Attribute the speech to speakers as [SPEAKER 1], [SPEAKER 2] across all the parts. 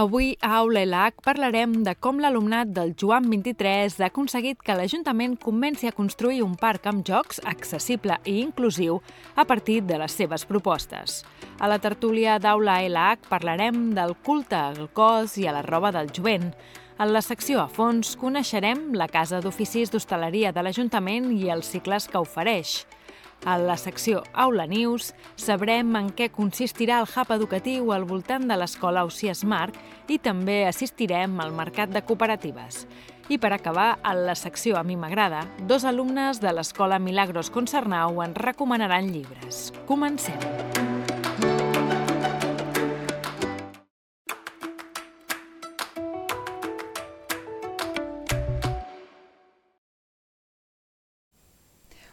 [SPEAKER 1] Avui a Aula LH parlarem de com l'alumnat del Joan 23 ha aconseguit que l'Ajuntament comenci a construir un parc amb jocs accessible i inclusiu a partir de les seves propostes. A la tertúlia d'Aula LH parlarem del culte al cos i a la roba del jovent. En la secció a fons coneixerem la Casa d'Oficis d'Hostaleria de l'Ajuntament i els cicles que ofereix. A la secció Aula News sabrem en què consistirà el hub educatiu al voltant de l'escola Ausiàs Marc i també assistirem al mercat de cooperatives. I per acabar, a la secció A mi m'agrada, dos alumnes de l'escola Milagros Concernau ens recomanaran llibres. Comencem!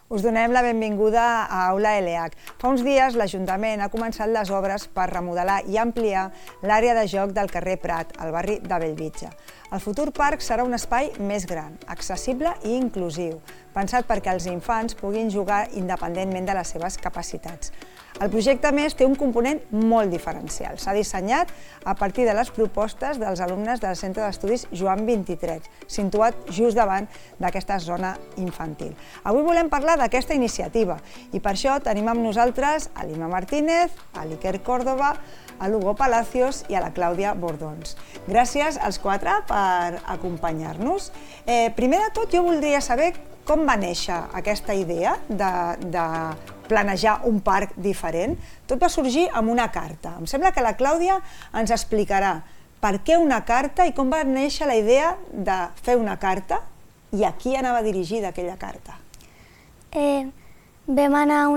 [SPEAKER 2] Us donem la benvinguda a Aula LH. Fa uns dies l'Ajuntament ha començat les obres per remodelar i ampliar l'àrea de joc del carrer Prat, al barri de Bellvitge. El futur parc serà un espai més gran, accessible i inclusiu, pensat perquè els infants puguin jugar independentment de les seves capacitats. El projecte, a més, té un component molt diferencial. S'ha dissenyat a partir de les propostes dels alumnes del Centre d'Estudis Joan 23, situat just davant d'aquesta zona infantil. Avui volem parlar d'aquesta iniciativa i per això tenim amb nosaltres a l'Ima Martínez, a l'Iker Córdoba, a l'Hugo Palacios i a la Clàudia Bordons. Gràcies als quatre per acompanyar-nos. Primer de tot, jo voldria saber com va néixer aquesta idea de planejar un parc diferent. Tot va sorgir amb una carta. Em sembla que la Clàudia ens explicarà per què una carta i com va néixer la idea de fer una carta i a qui anava dirigida aquella carta.
[SPEAKER 3] Vam anar a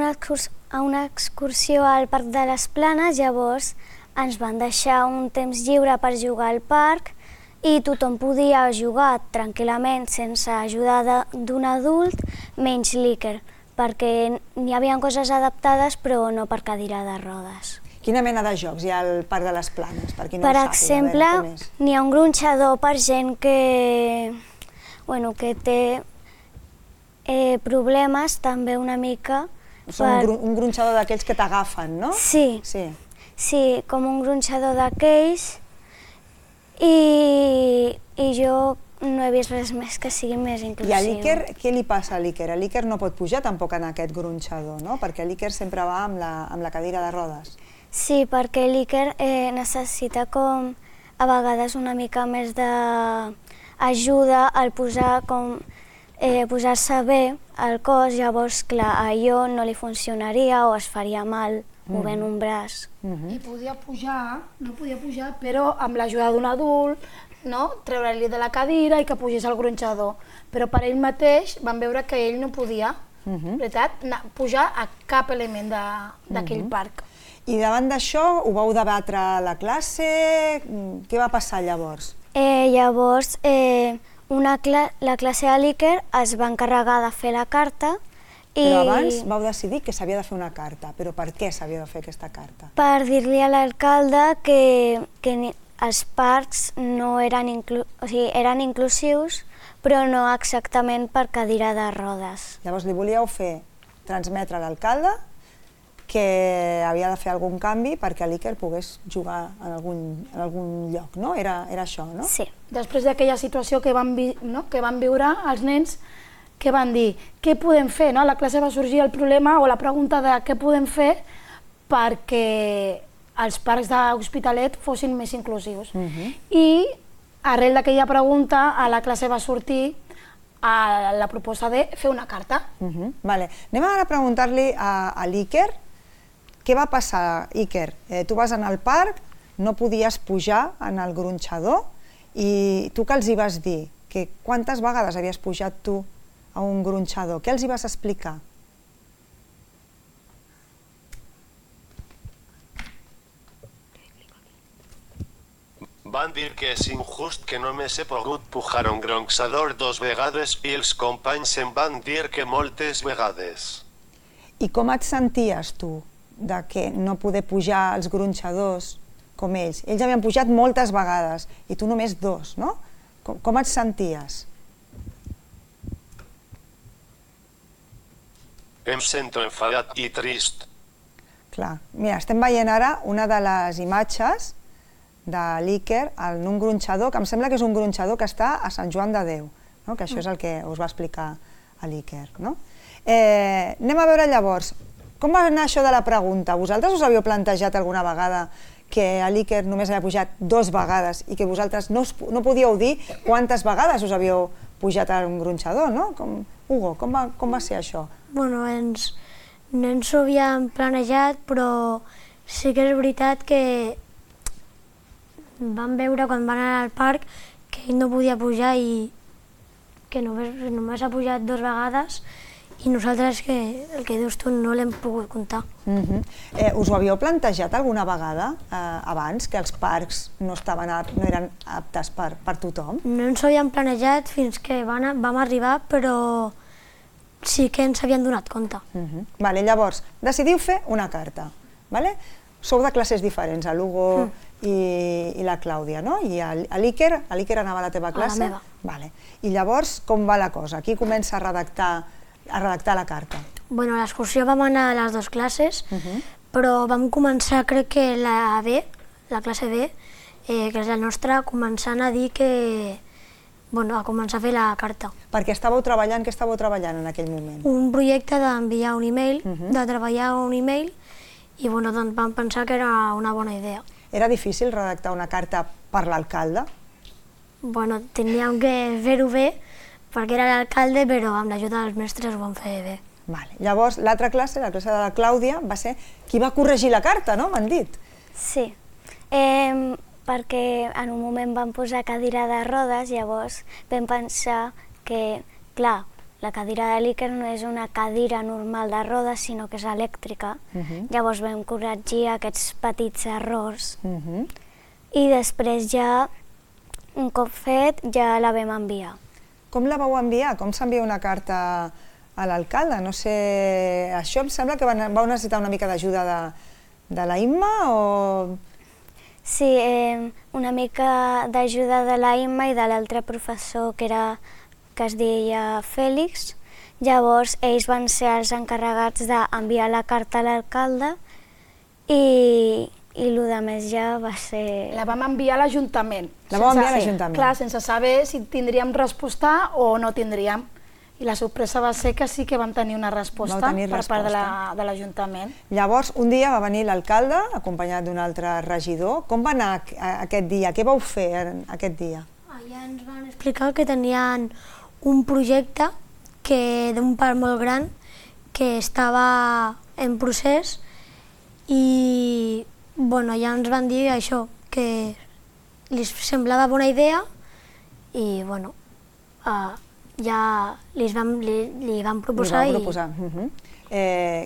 [SPEAKER 3] una excursió al Parc de les Planes, llavors ens van deixar un temps lliure per jugar al parc i tothom podia jugar tranquil·lament sense ajuda d'un adult, menys l'Iker, perquè n'hi havia coses adaptades però no per cadira de rodes.
[SPEAKER 2] Quina mena de jocs hi ha al Parc de les Planes? Per
[SPEAKER 3] exemple, n'hi ha un gronxador per gent que té problemes també una mica.
[SPEAKER 2] Un gronxador d'aquells que t'agafen, no?
[SPEAKER 3] Sí, com un gronxador d'aquells i jo no he vist res més que sigui més inclusiu.
[SPEAKER 2] I a l'Iker, què li passa a l'Iker? L'Iker no pot pujar tampoc en aquest gronxador, no? Perquè l'Iker sempre va amb la cadira de rodes.
[SPEAKER 3] Sí, perquè l'Iker necessita com a vegades una mica més d'ajuda al posar-se bé al cos, llavors, clar, a allò no li funcionaria o es faria mal movent un braç.
[SPEAKER 4] I podia pujar, no podia pujar, però amb l'ajuda d'un adult, treure-li de la cadira i que pugés al gronxador. Però per ell mateix van veure que ell no podia, pujar a cap element d'aquell parc.
[SPEAKER 2] I davant d'això ho vau debatre a la classe? Què va passar llavors?
[SPEAKER 3] Llavors, la classe de l'Iker es va encarregar de fer la carta.
[SPEAKER 2] Però abans vau decidir que s'havia de fer una carta. Però per què s'havia de fer aquesta carta?
[SPEAKER 3] Per dir-li a l'alcalde que els parcs eren inclusius, però no exactament per cadira de rodes.
[SPEAKER 2] Llavors li volíeu transmetre a l'alcalde que havia de fer algun canvi perquè l'Iker pogués jugar en algun lloc, no? Era això, no?
[SPEAKER 3] Sí.
[SPEAKER 4] Després d'aquella situació que van viure els nens, què van dir? Què podem fer? A la classe va sorgir el problema o la pregunta de què podem fer perquè els parcs d'Hospitalet fossin més inclusius. I arrel d'aquella pregunta a la classe va sortir la proposta de fer una carta.
[SPEAKER 2] Anem ara a preguntar-li a l'Iker què va passar, Iker. Tu vas anar al parc, no podies pujar en el gronxador i tu què els hi vas dir? Quantes vegades havies pujat tu a un gronxador? Què els hi vas explicar?
[SPEAKER 5] Van dir que és injust que només he pogut pujar un gronxador 2 vegades i els companys em van dir que moltes vegades.
[SPEAKER 2] I com et senties tu de que no poder pujar als gronxadors com ells? Ells havien pujat moltes vegades i tu només 2, no? Com et senties?
[SPEAKER 5] Em sento enfadat i trist.
[SPEAKER 2] Clar, mira, estem veient ara una de les imatges de l'Iker en un gronxador, que em sembla que és un gronxador que està a Sant Joan de Déu, que això és el que us va explicar l'Iker. Anem a veure llavors, com va anar això de la pregunta? Vosaltres us havíeu plantejat alguna vegada que l'Iker només havia pujat 2 vegades i que vosaltres no podíeu dir quantes vegades us havíeu pujat a un gronxador, no? Hugo, com va ser això?
[SPEAKER 6] Bueno, no ens ho havíem planejat, però sí que és veritat que vam veure quan van anar al parc que ell no podia pujar i que només ha pujat 2 vegades i nosaltres, el que dius tu, no l'hem pogut comptar.
[SPEAKER 2] Us ho havíeu plantejat alguna vegada abans, que els parcs no eren aptes per tothom?
[SPEAKER 6] No ens ho havíem planejat fins que vam arribar, però sí que ens havien donat compte.
[SPEAKER 2] Llavors, decidiu fer una carta. Sou de classes diferents, l'Hugo i la Clàudia, no? I l'Iker anava a la teva classe?
[SPEAKER 6] A la meva.
[SPEAKER 2] I llavors, com va la cosa? Qui comença a redactar la carta?
[SPEAKER 6] Bueno, a l'excursió vam anar a les 2 classes, però vam començar, crec que la B, la classe B, que és la nostra, començant a dir que... Bueno, a començar a fer la carta.
[SPEAKER 2] Perquè estàveu treballant, què estàveu treballant en aquell moment?
[SPEAKER 6] Un projecte d'enviar un e-mail, de treballar un e-mail, i bueno, doncs vam pensar que era una bona idea.
[SPEAKER 2] Era difícil redactar una carta per l'alcalde?
[SPEAKER 6] Bueno, teníem que fer-ho bé, perquè era l'alcalde, però amb l'ajuda dels mestres ho vam fer bé.
[SPEAKER 2] Llavors, l'altra classe, la classe de la Clàudia, va ser qui va corregir la carta, no? M'han dit.
[SPEAKER 3] Sí, perquè en un moment vam posar cadira de rodes, llavors vam pensar que, clar, la cadira de l'Iker no és una cadira normal de rodes, sinó que és elèctrica. Llavors vam corregir aquests petits errors i després ja, un cop fet, ja la vam enviar.
[SPEAKER 2] Com la vau enviar? Com s'envia una carta a l'alcalde? No sé, això em sembla que vau necessitar una mica d'ajuda de la Imma o...?
[SPEAKER 3] Sí, una mica d'ajuda de la Imma i de l'altre professor que es deia Fèlix. Llavors, ells van ser els encarregats d'enviar la carta a l'alcalde i el que més ja va ser...
[SPEAKER 4] La vam enviar a l'Ajuntament.
[SPEAKER 2] La vam enviar a l'Ajuntament.
[SPEAKER 4] Clar, sense saber si tindríem resposta o no tindríem. I la sorpresa va ser que sí que vam tenir una resposta per part de l'Ajuntament.
[SPEAKER 2] Llavors, un dia va venir l'alcalde, acompanyat d'un altre regidor. Com va anar aquest dia? Què vau fer aquest dia?
[SPEAKER 6] Allà ens van explicar que tenien un projecte d'un parc molt gran que estava en procés i ja ens van dir això, que li semblava bona idea i ja li van proposar.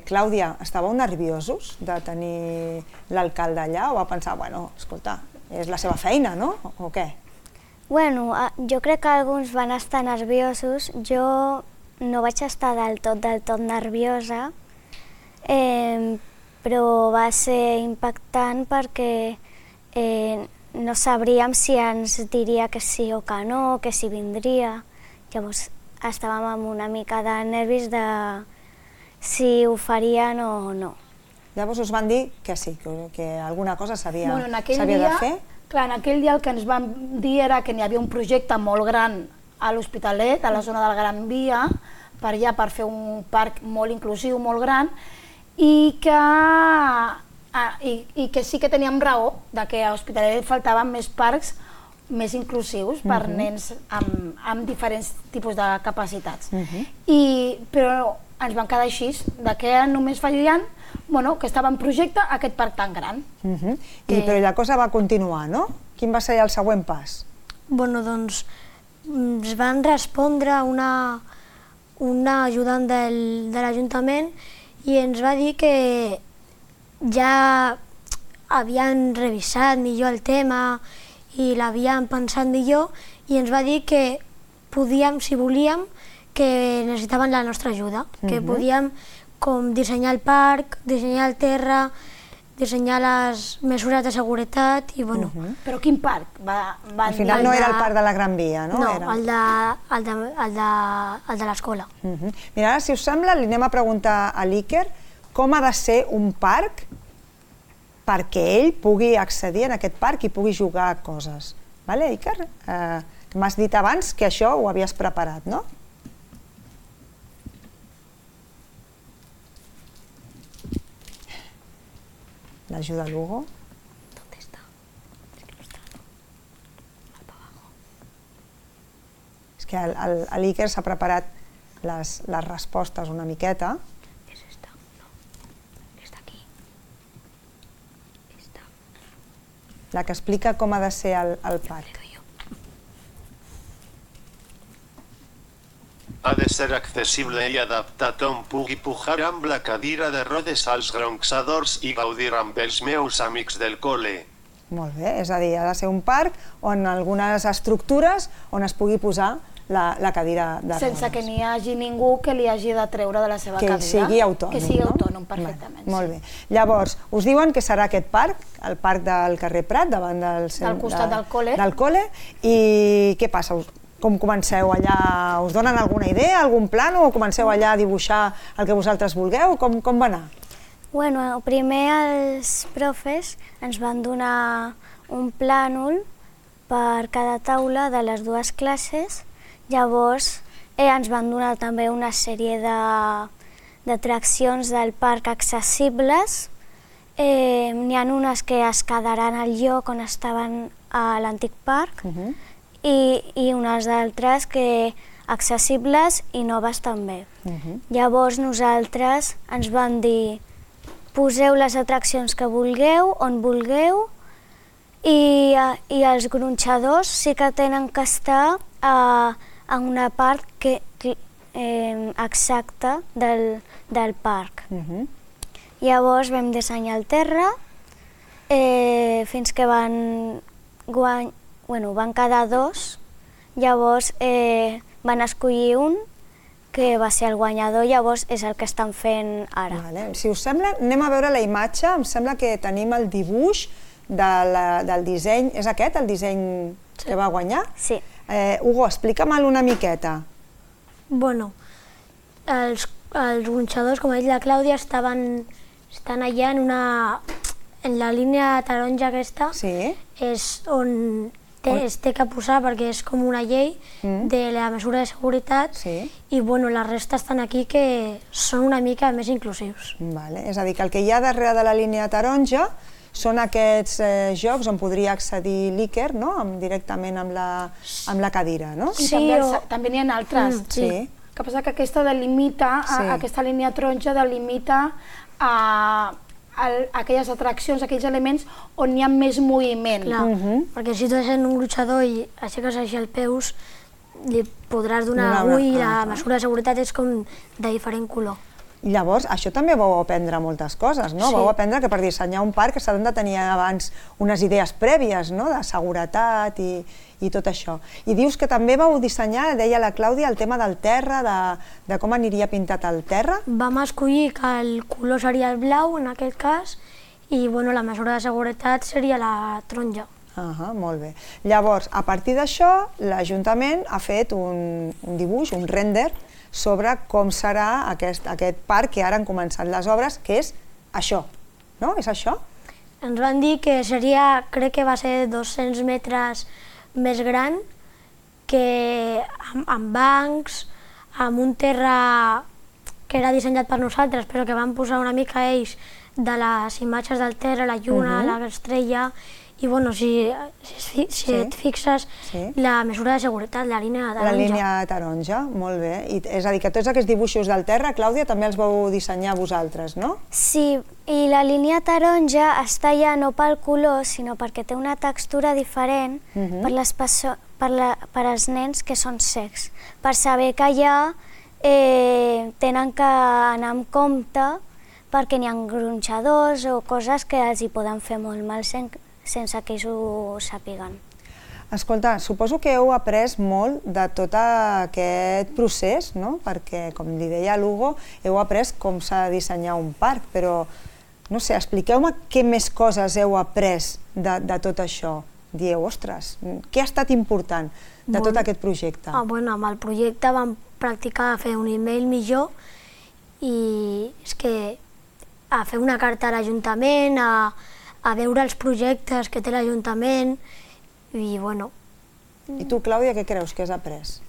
[SPEAKER 2] Clàudia, estàveu nerviosos de tenir l'alcalde allà o va pensar, escolta, és la seva feina, no? O què?
[SPEAKER 3] Bueno, jo crec que alguns van estar nerviosos. Jo no vaig estar del tot nerviosa, però va ser impactant perquè no sabríem si ens diria que sí o que no, que si vindria. Llavors estàvem amb una mica de nervis de si ho farien o no.
[SPEAKER 2] Llavors us van dir que sí, que alguna cosa s'havia de fer?
[SPEAKER 4] Clar, en aquell dia el que ens van dir era que n'hi havia un projecte molt gran a l'Hospitalet, a la zona del Gran Via, per fer un parc molt inclusiu, molt gran, i que sí que teníem raó de que a l'Hospitalet faltaven més parcs més inclusius per nens amb diferents tipus de capacitats. Però ens vam quedar així, que només fallien que estava en projecte aquest parc tan gran.
[SPEAKER 2] Però la cosa va continuar, no? Quin va ser el següent pas?
[SPEAKER 6] Doncs ens van respondre una ajudant de l'Ajuntament i ens va dir que ja havien revisat millor el tema i l'havien pensat millor i ens va dir que podíem, si volíem, que necessitaven la nostra ajuda, que podíem com dissenyar el parc, dissenyar el terra, dissenyar les mesures de seguretat i bueno...
[SPEAKER 4] Però quin parc?
[SPEAKER 2] Al final no era el parc de la Gran Via, no?
[SPEAKER 6] No, el de l'escola.
[SPEAKER 2] Mira, ara, si us sembla, li anem a preguntar a l'Iker com ha de ser un parc perquè ell pugui accedir en aquest parc i pugui jugar a coses. Vale, Iker? M'has dit abans que això ho havies preparat, no? L'ajuda Lugo.
[SPEAKER 6] ¿Dónde está? Es que no está. Va para abajo.
[SPEAKER 2] És que l'Iker s'ha preparat les respostes una miqueta.
[SPEAKER 6] Es esta. No. Está aquí. Esta.
[SPEAKER 2] La que explica com ha de ser el parc.
[SPEAKER 6] Le doy yo.
[SPEAKER 5] Ha de ser accessible i adaptat on pugui pujar amb la cadira de rodes als gronxadors i gaudir amb els meus amics del col·le.
[SPEAKER 2] Molt bé, és a dir, ha de ser un parc on algunes estructures on es pugui posar la cadira de rodes.
[SPEAKER 4] Sense que n'hi hagi ningú que li hagi de treure de la seva cadira.
[SPEAKER 2] Que sigui autònom.
[SPEAKER 4] Que sigui
[SPEAKER 2] no?
[SPEAKER 4] autònom, perfectament.
[SPEAKER 2] Molt bé. Llavors, us diuen que serà aquest parc, el parc del carrer Prat, davant del
[SPEAKER 4] costat del col·le.
[SPEAKER 2] Del col·le. I què passa? Com comenceu allà? Us donen alguna idea, algun plano, o comenceu allà a dibuixar el que vosaltres vulgueu? Com va anar?
[SPEAKER 3] Bueno, primer els profes ens van donar un plànol per cada taula de les dues classes. Llavors ens van donar també una sèrie d'atraccions del parc accessibles. N'hi ha unes que es quedaran al lloc on estaven a l'antic parc i unes d'altres que accessibles i noves també. Llavors nosaltres ens van dir poseu les atraccions que vulgueu, on vulgueu, i els gronxadors sí que tenen que estar en una part exacta del parc. Llavors vam dissenyar el terra fins que van quedar dos. Llavors van escollir un que va ser el guanyador, llavors és el que estan fent ara.
[SPEAKER 2] Si us sembla, anem a veure la imatge. Em sembla que tenim el dibuix del disseny. És aquest el disseny que va guanyar?
[SPEAKER 3] Sí.
[SPEAKER 2] Hugo, explica-me'l una miqueta.
[SPEAKER 6] Bueno, els gronxadors, com ha dit la Clàudia, estan allà en la línia taronja aquesta, és on es té que posar perquè és com una llei de la mesura de seguretat i la resta estan aquí que són una mica més inclusius.
[SPEAKER 2] És a dir, que el que hi ha darrere de la línia taronja són aquests jocs on podria accedir l'Iker directament amb la cadira, no?
[SPEAKER 4] I també n'hi ha altres. El que passa que aquesta delimita, aquesta línia taronja delimita aquelles atraccions, aquells elements on hi ha més moviment.
[SPEAKER 6] Perquè si tu ets un gronxador i aixeques així els peus, li podràs donar ull i la mesura de seguretat és com de diferent color.
[SPEAKER 2] Llavors, això també vau aprendre moltes coses, no? Vau aprendre que per dissenyar un parc s'han de tenir abans unes idees prèvies, no?, de seguretat i tot això. I dius que també vau dissenyar, deia la Clàudia, el tema del terra, de com aniria pintat el terra.
[SPEAKER 6] Vam escollir que el color seria el blau, en aquest cas, i la mesura de seguretat seria la taronja.
[SPEAKER 2] Molt bé. Llavors, a partir d'això, l'Ajuntament ha fet un dibuix, un render, sobre com serà aquest parc que ara han començat les obres, que és això, no? És això?
[SPEAKER 6] Ens van dir que seria, crec que va ser 200 metres més gran, que amb bancs, amb un terra que era dissenyat per nosaltres, però que van posar una mica ells de les imatges del terra, la lluna, l'estrella, i si et fixes, la mesura de seguretat, la línia taronja.
[SPEAKER 2] La línia taronja, molt bé. És a dir, que tots aquests dibuixos del terra, Clàudia, també els vau dissenyar vosaltres, no?
[SPEAKER 3] Sí, i la línia taronja està ja no pel color, sinó perquè té una textura diferent per als nens que són cecs, per saber que allà tenen que anar amb compte perquè n'hi ha gronxadors o coses que els hi poden fer molt mal sense que ells ho sàpiguen.
[SPEAKER 2] Escolta, suposo que heu après molt de tot aquest procés, no? Perquè, com li deia a l'Hugo, heu après com s'ha de dissenyar un parc, però, no sé, expliqueu-me què més coses heu après de tot això. Dieu, ostres, què ha estat important de tot aquest projecte?
[SPEAKER 6] Amb el projecte vam practicar a fer un email millor i és que a fer una carta a l'Ajuntament, a veure els projectes que té l'Ajuntament i, bueno...
[SPEAKER 2] I tu, Clàudia, què creus que has après?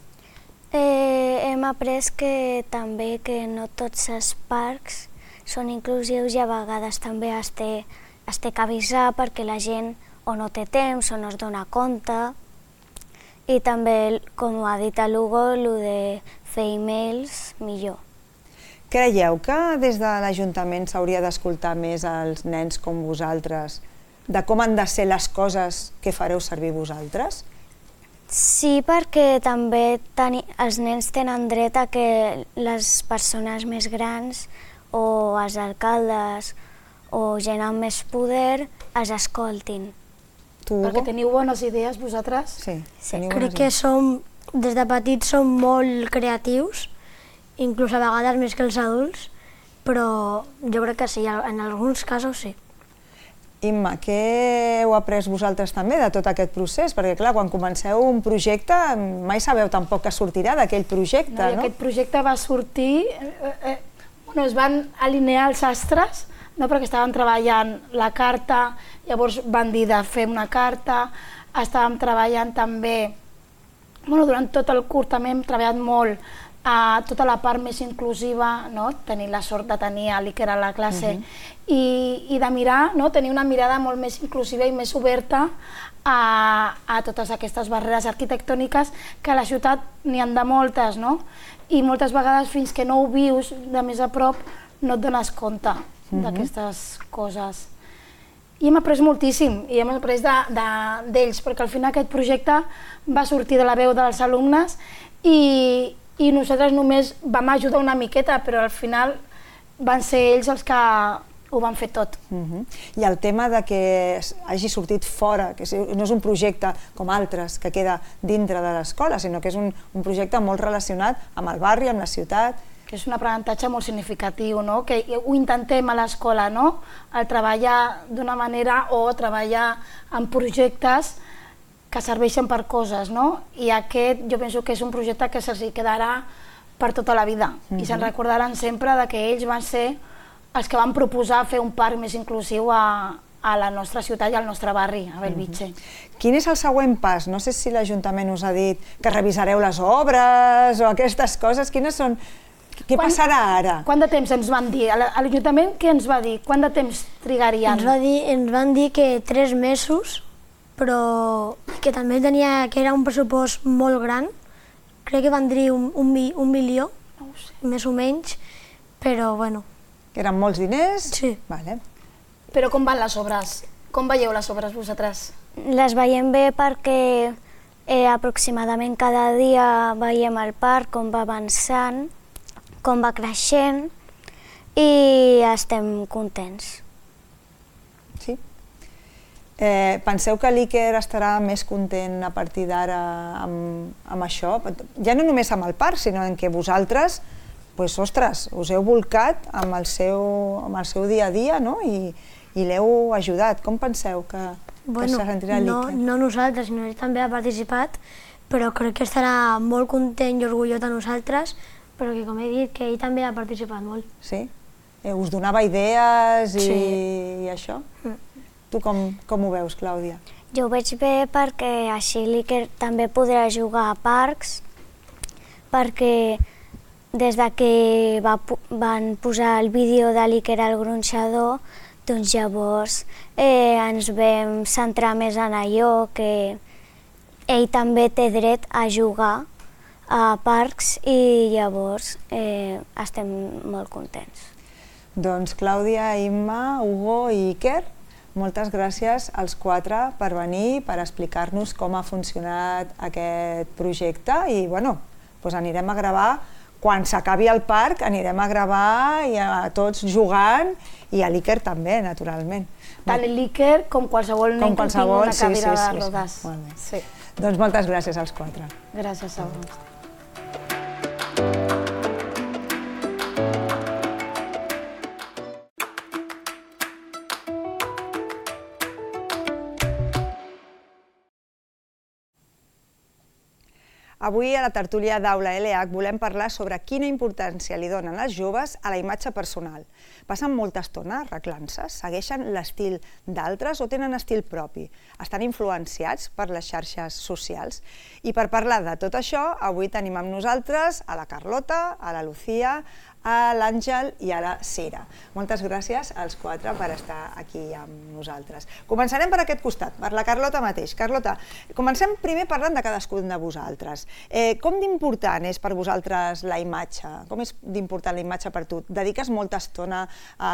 [SPEAKER 3] Hem après que també que no tots els parcs són inclusius i a vegades també es té que avisar perquè la gent o no té temps o no es dona compte. I també, com ha dit l'Hugo, el de fer e-mails millor.
[SPEAKER 2] Creieu que des de l'Ajuntament s'hauria d'escoltar més als nens com vosaltres de com han de ser les coses que fareu servir vosaltres?
[SPEAKER 3] Sí, perquè també els nens tenen dret a que les persones més grans o els alcaldes o gent amb més poder els escoltin.
[SPEAKER 2] Tu, Hugo?
[SPEAKER 4] Perquè teniu bones idees vosaltres?
[SPEAKER 2] Sí.
[SPEAKER 6] Crec que des de petits som molt creatius, inclús a vegades més que els adults, però jo crec que sí, en alguns casos sí.
[SPEAKER 2] Imma, què heu après vosaltres també de tot aquest procés? Perquè, clar, quan comenceu un projecte mai sabeu tampoc què sortirà d'aquell projecte, no?
[SPEAKER 4] Aquest projecte va sortir... Es van alinear els astres, perquè estaven treballant la carta, llavors van dir de fer una carta, estàvem treballant també... Durant tot el curs també hem treballat molt a tota la part més inclusiva, tenir la sort de tenir l'Iker a la classe i de mirar, tenir una mirada molt més inclusiva i més oberta a totes aquestes barreres arquitectòniques que a la ciutat n'hi ha de moltes, i moltes vegades fins que no ho vius de més a prop no et dones compte d'aquestes coses. I hem après moltíssim, i hem après d'ells, perquè al final aquest projecte va sortir de la veu dels alumnes i nosaltres només vam ajudar una miqueta, però al final van ser ells els que ho van fer tot.
[SPEAKER 2] I el tema de que hagi sortit fora, que no és un projecte com altres que queda dintre de l'escola, sinó que és un projecte molt relacionat amb el barri, amb la ciutat.
[SPEAKER 4] Que és un aprenentatge molt significatiu, que ho intentem a l'escola, el treballar d'una manera o treballar en projectes que serveixen per coses, i aquest jo penso que és un projecte que se'ls quedarà per tota la vida i se'n recordaran sempre que ells van ser els que van proposar fer un parc més inclusiu a la nostra ciutat i al nostre barri, a Bellvitge.
[SPEAKER 2] Quin és el següent pas? No sé si l'Ajuntament us ha dit que revisareu les obres o aquestes coses. Quines són? Què passarà ara?
[SPEAKER 4] Quant de temps ens van dir? L'Ajuntament què ens va dir? Quant de temps trigarien?
[SPEAKER 6] Ens van dir que 3 mesos, però que també que era un pressupost molt gran. Crec que van dir 1 milió, més o menys, però bueno.
[SPEAKER 2] Que eren molts diners?
[SPEAKER 6] Sí.
[SPEAKER 4] Però com van les obres? Com veieu les obres vosaltres?
[SPEAKER 3] Les veiem bé perquè aproximadament cada dia veiem el parc, com va avançant, com va creixent i estem contents.
[SPEAKER 2] Sí? Penseu que l'Iker estarà més content a partir d'ara amb això? Ja no només amb el parc, sinó en què vosaltres ostres, us heu volcat amb el seu dia a dia i l'heu ajudat. Com penseu que se sentirà l'Iker?
[SPEAKER 6] No nosaltres, sinó ell també ha participat, però crec que estarà molt content i orgullós de nosaltres, però que, com he dit, que ell també ha participat molt.
[SPEAKER 2] Sí? Us donava idees i això? Tu com ho veus, Clàudia?
[SPEAKER 3] Jo ho veig bé perquè així l'Iker també podrà jugar a parcs, perquè des que van posar el vídeo de l'Iker al gronxador, doncs llavors ens vam centrar més en allò, que ell també té dret a jugar a parcs i llavors estem molt contents.
[SPEAKER 2] Doncs Clàudia, Imma, Hugo i Iker, moltes gràcies als 4 per venir, per explicar-nos com ha funcionat aquest projecte i anirem a gravar. Quan s'acabi el parc anirem a gravar i a tots jugant i a l'Iker també, naturalment.
[SPEAKER 4] Tant l'Iker com qualsevol nen que tingui una cadira de rodes.
[SPEAKER 2] Doncs moltes gràcies als 4.
[SPEAKER 4] Gràcies a vosaltres.
[SPEAKER 2] Avui a la tertúlia d'Aula LH volem parlar sobre quina importància li donen els joves a la imatge personal. Passen molta estona arreglant-se, segueixen l'estil d'altres o tenen estil propi? Estan influenciats per les xarxes socials? I per parlar de tot això, avui tenim amb nosaltres a la Carlota, a la Lucía, a l'Àngel i a la Sira. Moltes gràcies als quatre per estar aquí amb nosaltres. Començarem per aquest costat, per la Carlota mateix. Carlota, comencem primer parlant de cadascun de vosaltres. Com d'important és per vosaltres la imatge? Com és d'important la imatge per tu? Dediques molta estona a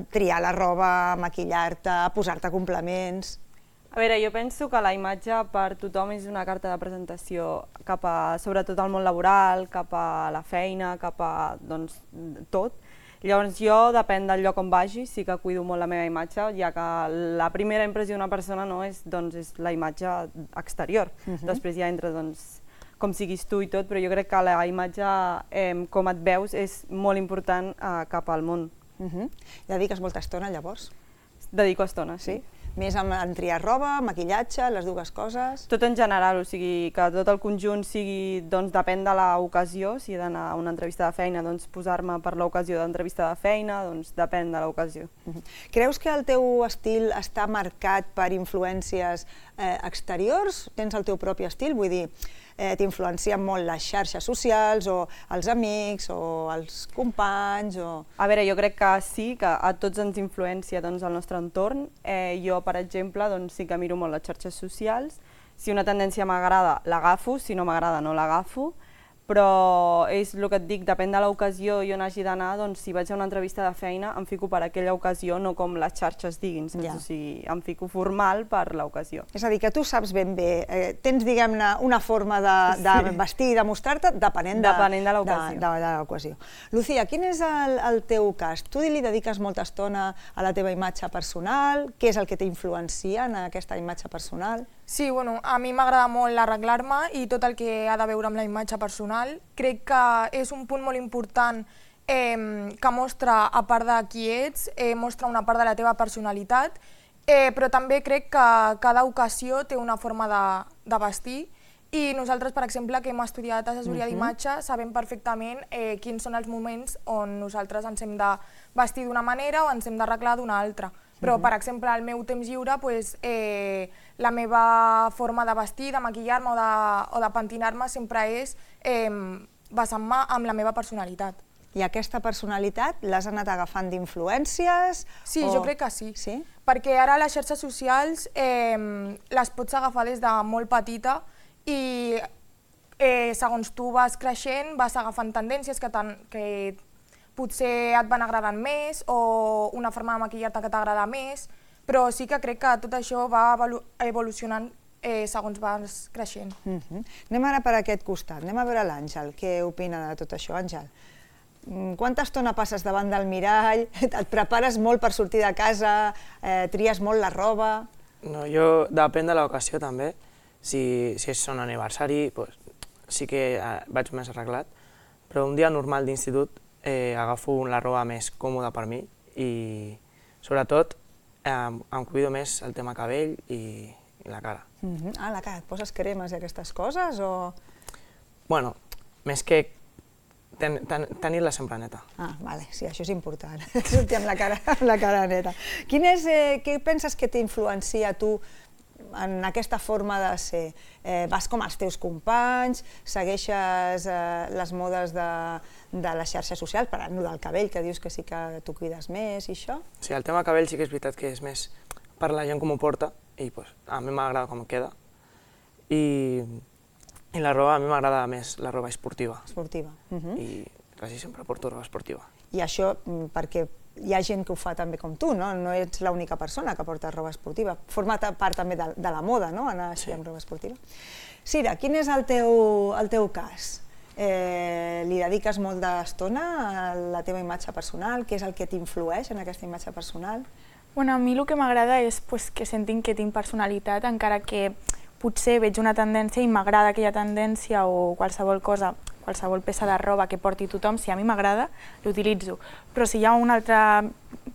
[SPEAKER 2] triar la roba, a maquillar-te, a posar-te complements?
[SPEAKER 7] A veure, jo penso que la imatge per tothom és una carta de presentació cap a, sobretot al món laboral, cap a la feina, cap a, doncs, tot. Llavors jo, depèn del lloc on vagi, sí que cuido molt la meva imatge, ja que la primera impressió d'una persona no és, doncs, és la imatge exterior. Després ja entra, doncs, com siguis tu i tot, però jo crec que la imatge, com et veus, és molt important cap al món.
[SPEAKER 2] Dediques molta estona, llavors?
[SPEAKER 7] Dedico estona, sí.
[SPEAKER 2] Més en triar roba, maquillatge, les dues coses?
[SPEAKER 7] Tot en general, o sigui, que tot el conjunt sigui, doncs depèn de l'ocasió, si he d'anar a una entrevista de feina, doncs posar-me per l'ocasió d'entrevista de feina, doncs depèn de l'ocasió.
[SPEAKER 2] Creus que el teu estil està marcat per influències exteriors? Tens el teu propi estil? Vull dir, t'influencien molt les xarxes socials o els amics o els companys?
[SPEAKER 7] A veure, jo crec que sí, que a tots ens influencia el nostre entorn. Jo, per exemple, sí que miro molt les xarxes socials. Si una tendència m'agrada, l'agafo, si no m'agrada, no l'agafo. Però és el que et dic, depèn de l'ocasió i on hagi d'anar, doncs si vaig a una entrevista de feina em fico per aquella ocasió, no com les xarxes diguin, o sigui, em fico formal per l'ocasió.
[SPEAKER 2] És a dir, que tu saps ben bé, tens, diguem-ne, una forma de vestir i de mostrar-te depenent de l'ocasió. Lucía, quin és el teu cas? Tu li dediques molta estona a la teva imatge personal? Què és el que t'influencia en aquesta imatge personal?
[SPEAKER 8] Sí, bueno, a mi m'agrada molt arreglar-me i tot el que ha de veure amb la imatge personal. Crec que és un punt molt important que mostra, a part de qui ets, mostra una part de la teva personalitat, però també crec que cada ocasió té una forma de vestir i nosaltres, per exemple, que hem estudiat assessoria d'imatge, sabem perfectament quins són els moments on nosaltres ens hem de vestir d'una manera o ens hem d'arreglar d'una altra. Però, per exemple, al meu temps lliure, la meva forma de vestir, de maquillar-me o de pentinar-me sempre és basant-me en la meva personalitat.
[SPEAKER 2] I aquesta personalitat l'has anat agafant d'influències?
[SPEAKER 8] Sí, jo crec que sí. Perquè ara les xarxes socials les pots agafar des de molt petita i segons tu vas creixent vas agafant tendències que potser et van agradant més o una forma de maquillar-te que t'agrada més, però sí que crec que tot això va evolucionant segons vas creixent.
[SPEAKER 2] Anem ara per aquest costat, anem a veure l'Àngel, què opina de tot això, Àngel? Quanta estona passes davant del mirall? Et prepares molt per sortir de casa? Tries molt la roba?
[SPEAKER 9] No, jo depèn de l'ocasió també. Si és un aniversari, sí que vaig més arreglat, però un dia normal d'institut agafo la roba més còmoda per mi i sobretot em cuido més el tema cabell i la cara.
[SPEAKER 2] Ah, la cara, et poses cremes i aquestes coses o...?
[SPEAKER 9] Bueno, més que tenir-la sempre neta.
[SPEAKER 2] Ah, vale, sí, això és important, sortir amb la cara neta. Què penses que t'influencia a tu en aquesta forma de ser? Vas com els teus companys, segueixes les modes de les xarxes socials, parlant del cabell, que dius que sí que t'ho cuides més i això?
[SPEAKER 9] Sí, el tema cabell sí que és veritat que és més per la gent com ho porta i a mi m'agrada com queda. I la roba, a mi m'agrada més la roba esportiva.
[SPEAKER 2] Esportiva.
[SPEAKER 9] I quasi sempre porto roba esportiva.
[SPEAKER 2] I això perquè hi ha gent que ho fa també com tu, no? No ets l'única persona que porta roba esportiva. Forma part també de la moda, no?, anar així amb roba esportiva. Sira, quin és el teu cas? Li dediques molt d'estona a la teva imatge personal? Què és el que t'influeix en aquesta imatge personal?
[SPEAKER 10] A mi el que m'agrada és que sentin que tinc personalitat, encara que potser veig una tendència i m'agrada aquella tendència o qualsevol cosa, qualsevol peça de roba que porti tothom, si a mi m'agrada, l'utilitzo. Però si hi ha una altra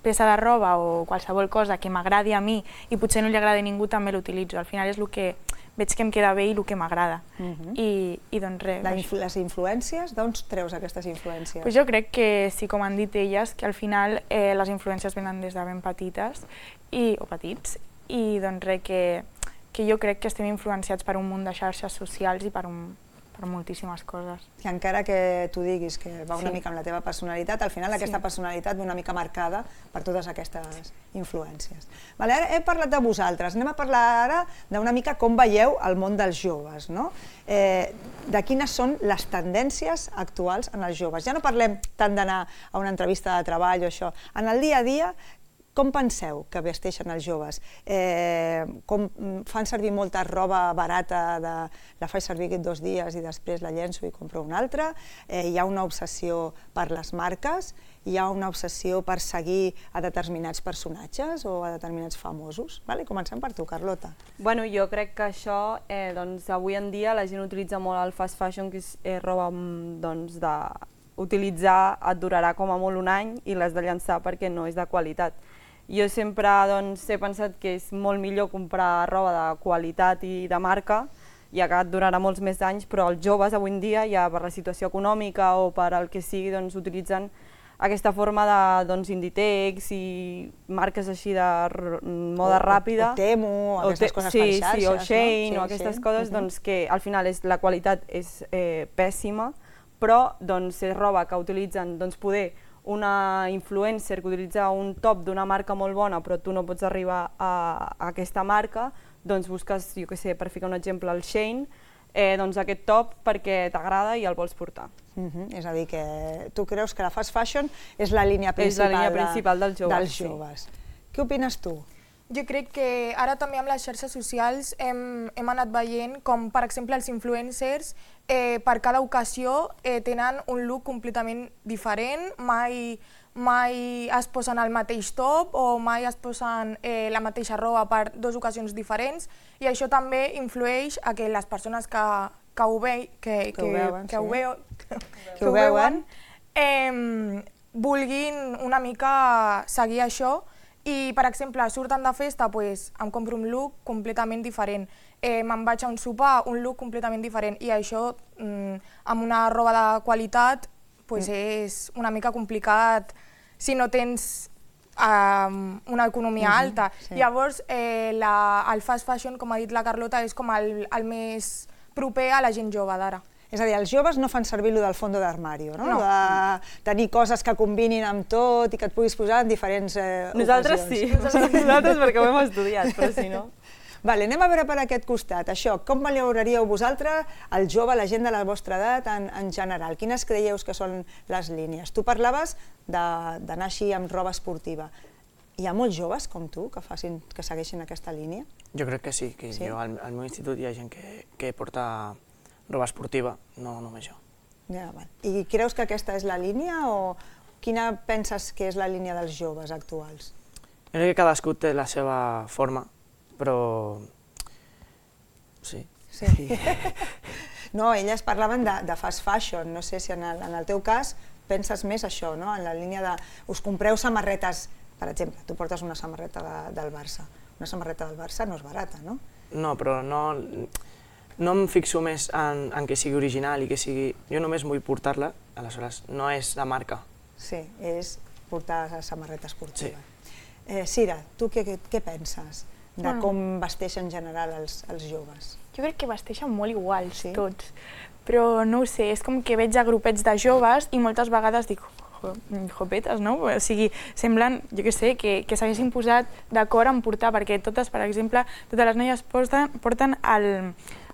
[SPEAKER 10] peça de roba o qualsevol cosa que m'agradi a mi i potser no li agradi a ningú, també l'utilitzo. Al final és el que veig que em queda bé i el que m'agrada. I doncs res.
[SPEAKER 2] Les influències, d'on treus aquestes influències?
[SPEAKER 10] Jo crec que sí, com han dit elles, que al final les influències venen des de ben petites o petits, i doncs res, que jo crec que estem influenciats per un munt de xarxes socials i per moltíssimes coses.
[SPEAKER 2] I encara que tu diguis que va una mica amb la teva personalitat, al final aquesta personalitat ve una mica marcada per totes aquestes influències. Ara he parlat de vosaltres, anem a parlar ara d'una mica com veieu el món dels joves, de quines són les tendències actuals en els joves. Ja no parlem tant d'anar a una entrevista de treball o això, en el dia a dia, com penseu que vesteixen els joves? Com fan servir molta roba barata, la faig servir aquests 2 dies i després la llenço i compro una altra? Hi ha una obsessió per les marques? Hi ha una obsessió per seguir a determinats personatges o a determinats famosos? Comencem per tu, Carlota.
[SPEAKER 7] Jo crec que això, avui en dia la gent utilitza molt el fast fashion, que és roba d'utilitzar, et durarà com a molt un any i l'has de llançar perquè no és de qualitat. Jo sempre he pensat que és molt millor comprar roba de qualitat i de marca, ja que et durarà molts més anys, però els joves avui en dia, ja per la situació econòmica o per el que sigui, utilitzen aquesta forma d'Inditex i marques així de moda ràpida.
[SPEAKER 2] O Temu, aquestes coses per xarxes.
[SPEAKER 7] Sí, o Shein, o aquestes coses, que al final la qualitat és pèssima, però és roba que utilitzen poder una influencer que utilitza un top d'una marca molt bona però tu no pots arribar a aquesta marca, busques, jo què sé, per ficar un exemple, el Shein, aquest top perquè t'agrada i el vols portar.
[SPEAKER 2] És a dir, que tu creus que la fast fashion és la línia principal dels joves. Què opines tu?
[SPEAKER 8] Jo crec que ara també amb les xarxes socials hem anat veient com, per exemple, els influencers per cada ocasió tenen un look completament diferent, mai es posen el mateix top o mai es posen la mateixa roba per 2 ocasions diferents, i això també influeix a que les persones que ho veuen vulguin una mica seguir això. I, per exemple, surten de festa, em compro un look completament diferent. Me'n vaig a un sopar, un look completament diferent. I això, amb una roba de qualitat, és una mica complicat si no tens una economia alta. Llavors, el fast fashion, com ha dit la Carlota, és com el més proper a la gent jove d'ara.
[SPEAKER 2] És a dir, els joves no fan servir allò del fondo d'armari, no? De tenir coses que combinin amb tot i que et puguis posar en diferents ocasions.
[SPEAKER 7] Nosaltres sí, nosaltres perquè ho hem estudiat, però si no...
[SPEAKER 2] Anem a veure per aquest costat. Això, com valoraríeu vosaltres el jove, la gent de la vostra edat en general? Quines creieu que són les línies? Tu parlaves d'anar així amb roba esportiva. Hi ha molts joves com tu que segueixin aquesta línia?
[SPEAKER 9] Jo crec que sí, que al meu institut hi ha gent que porta roba esportiva, no només jo.
[SPEAKER 2] I creus que aquesta és la línia o quina penses que és la línia dels joves actuals?
[SPEAKER 9] Jo crec que cadascú té la seva forma, però... sí.
[SPEAKER 2] No, elles parlaven de fast fashion, no sé si en el teu cas penses més això, en la línia de... Us compreu samarretes, per exemple, tu portes una samarreta del Barça. Una samarreta del Barça no és barata, no?
[SPEAKER 9] No, però no em fixo més en que sigui original i que sigui... Jo només vull portar-la, aleshores no és la marca.
[SPEAKER 2] Sí, és portar la samarreta esportiva. Sira, tu què penses de com vesteixen en general els joves?
[SPEAKER 10] Jo crec que vesteixen molt iguals tots, però no ho sé, és com que veig a grupets de joves i moltes vegades dic jopetes, no? O sigui, semblen, jo què sé, que s'haguessin posat d'acord en portar, perquè totes, per exemple, totes les noies porten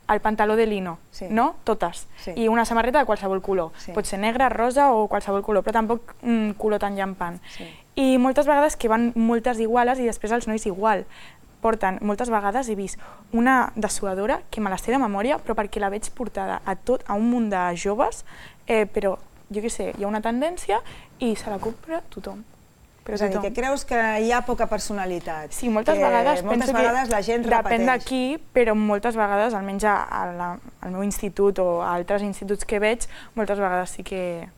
[SPEAKER 10] el pantaló de lino, no? Totes. I una samarreta de qualsevol color. Pot ser negra, rosa o qualsevol color, però tampoc un color tan llampant. I moltes vegades que van moltes iguales i després els nois igual. Porten, moltes vegades he vist una dessuadora que me la sé de memòria, però perquè la veig portada a un munt de joves, però jo què sé, hi ha una tendència i se la compra tothom.
[SPEAKER 2] És a dir, que creus que hi ha poca personalitat.
[SPEAKER 10] Sí, moltes vegades penso que
[SPEAKER 2] la gent repeteix.
[SPEAKER 10] Depèn d'aquí, però moltes vegades, almenys al meu institut o a altres instituts que veig, moltes vegades sí que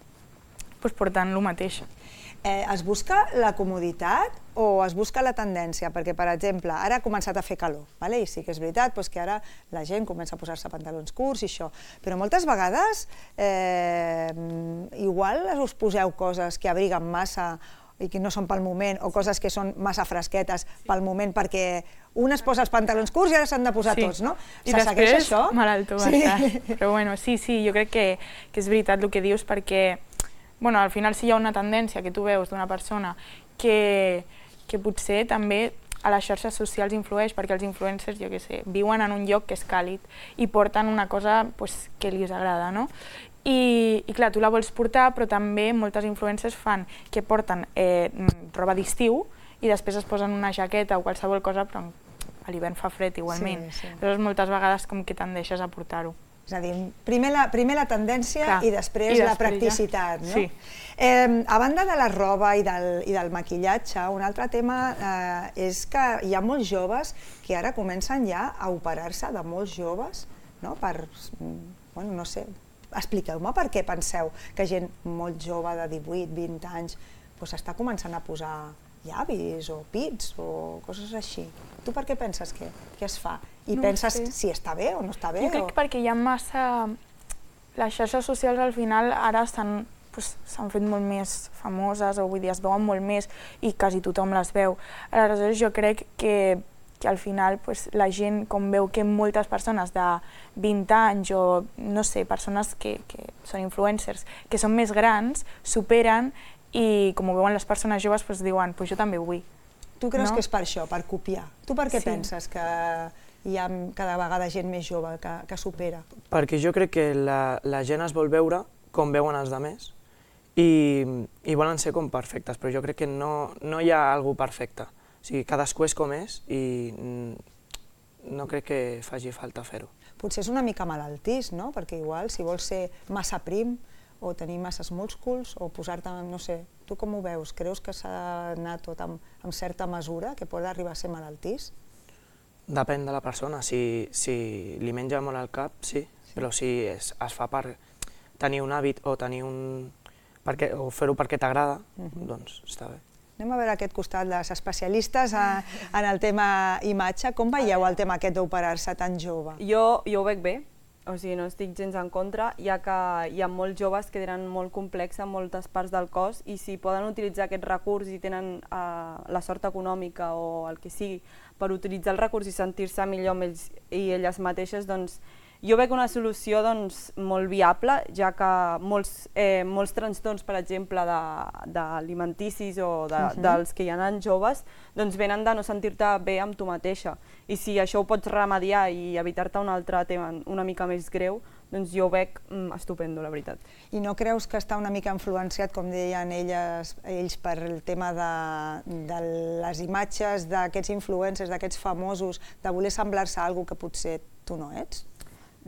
[SPEAKER 10] porten el mateix.
[SPEAKER 2] Es busca la comoditat o es busca la tendència? Perquè, per exemple, ara ha començat a fer calor, i sí que és veritat que ara la gent comença a posar-se pantalons curts i això, però moltes vegades igual us poseu coses que abriguen massa i que no són pel moment, o coses que són massa fresquetes pel moment, perquè un es posa els pantalons curts i ara s'han de posar tots, no?
[SPEAKER 10] I després malalto va estar. Però bueno, sí, jo crec que és veritat el que dius, perquè al final si hi ha una tendència que tu veus d'una persona que potser també a les xarxes socials influeix, perquè els influencers, jo què sé, viuen en un lloc que és càlid i porten una cosa que els agrada, no? I clar, tu la vols portar, però també moltes influencers fan que porten roba d'estiu i després es posen una jaqueta o qualsevol cosa, però a l'hivern fa fred igualment. Llavors moltes vegades com que tendeixes a portar-ho.
[SPEAKER 2] És a dir, primer la tendència i després la practicitat, no? A banda de la roba i del maquillatge, un altre tema és que hi ha molts joves que ara comencen ja a operar-se de molts joves, no? No sé, expliqueu-me per què penseu que gent molt jove de 18-20 anys s'està començant a posar llavis o pits o coses així. Tu per què penses que es fa? I penses si està bé o no està bé?
[SPEAKER 10] Jo crec que perquè hi ha massa... Les xarxes socials al final ara s'han fet molt més famoses, o vull dir, es veuen molt més i quasi tothom les veu. Aleshores jo crec que al final la gent, com veu que moltes persones de 20 anys o, no sé, persones que són influencers, que són més grans, superen i com ho veuen les persones joves diuen, jo també ho vull.
[SPEAKER 2] Tu creus que és per això, per copiar? Tu per què penses que hi ha cada vegada gent més jove que supera?
[SPEAKER 9] Perquè jo crec que la gent es vol veure com veuen els altres i volen ser com perfectes, però jo crec que no hi ha algú perfecte. O sigui, cadascú és com és i no crec que faci falta fer-ho.
[SPEAKER 2] Potser és una mica malaltís, no? Perquè igual, si vols ser massa prim o tenir masses músculs o posar-te, no sé, tu com ho veus? Creus que s'ha d'anar tot amb certa mesura, que pot arribar a ser malaltís?
[SPEAKER 9] Depèn de la persona. Si li menja molt al cap, sí, però si es fa per tenir un hàbit o fer-ho perquè t'agrada, doncs està bé.
[SPEAKER 2] Anem a veure aquest costat dels especialistes en el tema imatge. Com veieu el tema aquest d'operar-se tan jove?
[SPEAKER 7] Jo ho veig bé, o sigui, no estic gens en contra, ja que hi ha molts joves que tenen molt complex en moltes parts del cos i si poden utilitzar aquest recurs i tenen la sort econòmica o el que sigui per utilitzar el recurs i sentir-se millor amb ells i elles mateixes, doncs jo veig una solució molt viable, ja que molts trastorns, per exemple, d'alimenticis o dels que hi ha joves, venen de no sentir-te bé amb tu mateixa. I si això ho pots remediar i evitar-te un altre tema una mica més greu, doncs jo ho veig estupendo, la veritat.
[SPEAKER 2] I no creus que està una mica influenciat, com deien ells, per el tema de les imatges d'aquests influencers, d'aquests famosos, de voler semblar-se a algú que potser tu no ets?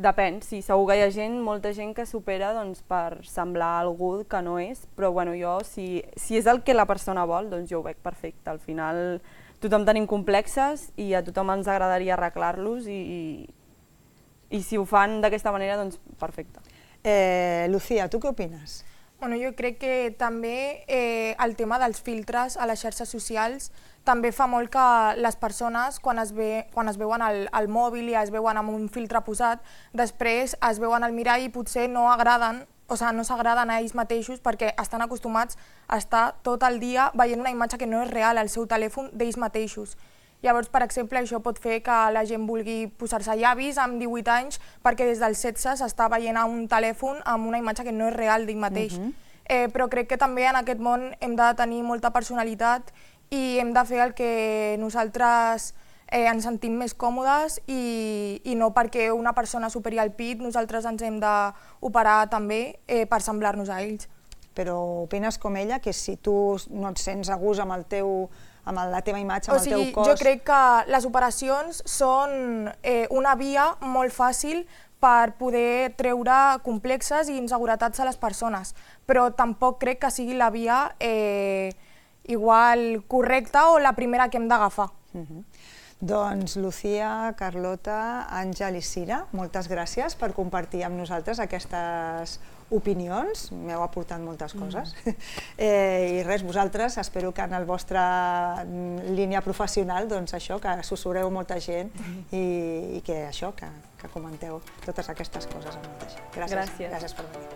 [SPEAKER 7] Depèn, sí, segur que hi ha molta gent que supera per semblar a algú que no és, però jo, si és el que la persona vol, doncs jo ho veig perfecte. Al final tothom tenim complexes i a tothom ens agradaria arreglar-los i si ho fan d'aquesta manera, doncs perfecte.
[SPEAKER 2] Lucía, tu què opines?
[SPEAKER 8] Jo crec que també el tema dels filtres a les xarxes socials també fa molt que les persones, quan es veuen al mòbil i es veuen amb un filtre posat, després es veuen al mirall i potser no s'agraden a ells mateixos perquè estan acostumats a estar tot el dia veient una imatge que no és real al seu telèfon d'ells mateixos. Llavors, per exemple, això pot fer que la gent vulgui posar-se llavis amb 18 anys perquè des dels 16 s'està veient a un telèfon amb una imatge que no és real d'ell mateix. Però crec que també en aquest món hem de tenir molta personalitat i hem de fer el que nosaltres ens sentim més còmodes i no perquè una persona superi el pit nosaltres ens hem d'operar també per semblar-nos a ells.
[SPEAKER 2] Però opines com ella, que si tu no et sents a gust amb la teva imatge, amb el teu cos...
[SPEAKER 8] Jo crec que les operacions són una via molt fàcil per poder treure complexes i inseguretats a les persones, però tampoc crec que sigui la via igual correcta o la primera que hem d'agafar.
[SPEAKER 2] Doncs Lucía, Carlota, Àngel i Cira, moltes gràcies per compartir amb nosaltres aquestes opinions, m'heu aportat moltes coses. I res, vosaltres, espero que en la vostra línia professional, doncs això, que assessoreu molta gent i que això, que comenteu totes aquestes coses amb molta gent. Gràcies. Gràcies per venir.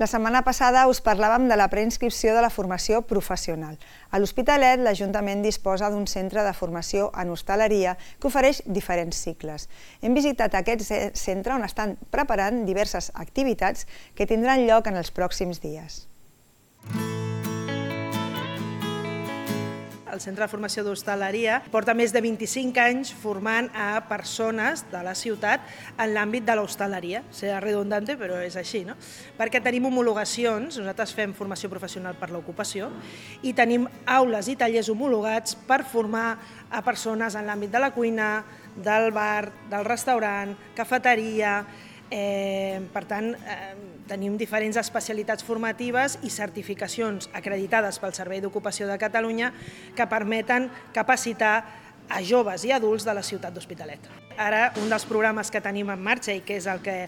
[SPEAKER 2] La setmana passada us parlàvem de la preinscripció de la formació professional. A l'Hospitalet, l'Ajuntament disposa d'un centre de formació en hostaleria que ofereix diferents cicles. Hem visitat aquest centre on estan preparant diverses activitats que tindran lloc en els pròxims dies.
[SPEAKER 11] El Centre de Formació d'Hostaleria porta més de 25 anys formant a persones de la ciutat en l'àmbit de l'hostaleria. Serà redundante, però és així, no? Perquè tenim homologacions, nosaltres fem formació professional per l'ocupació, i tenim aules i tallers homologats per formar a persones en l'àmbit de la cuina, del bar, del restaurant, cafeteria. Per tant, tenim diferents especialitats formatives i certificacions acreditades pel Servei d'Ocupació de Catalunya que permeten capacitar a joves i adults de la ciutat d'Hospitalet. Ara, un dels programes que tenim en marxa i que és el que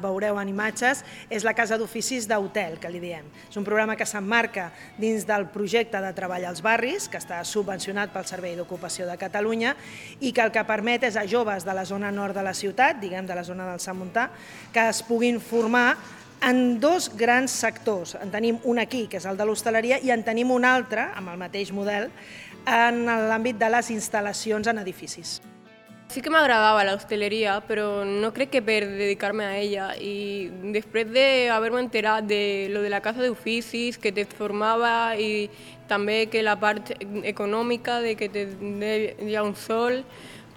[SPEAKER 11] veureu en imatges és la Casa d'Oficis d'Hotel, que li diem. És un programa que s'emmarca dins del projecte de treball als barris, que està subvencionat pel Servei d'Ocupació de Catalunya i que el que permet és a joves de la zona nord de la ciutat, diguem de la zona del Sant Montà, que es puguin formar en dos grans sectors. En tenim un aquí, que és el de l'hostaleria, i en tenim un altre, amb el mateix model, en l'àmbit de les instal·lacions en edificis.
[SPEAKER 12] Sí que m'agradava la hosteleria, però no crec que per dedicar-me a ella. I després d'haver-me enterat de lo de la casa d'oficis, que te formava i també que la part econòmica, de que hi ha un sol,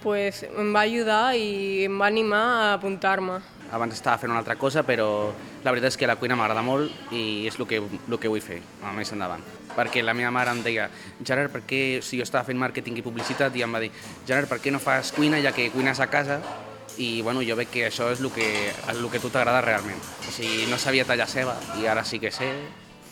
[SPEAKER 12] pues em va ajudar i em va animar a apuntar-me.
[SPEAKER 13] Abans estava fent una altra cosa, però la veritat és que la cuina m'agrada molt i és el que vull fer més endavant. Perquè la meva mare em deia, Gerard, per què, si jo estava fent màrqueting i publicitat, i em va dir, Gerard, per què no fas cuina ja que cuines a casa? I bueno, jo veig que això és el que a tu t'agrada realment. O sigui, no sabia tallar ceba i ara sí que sé,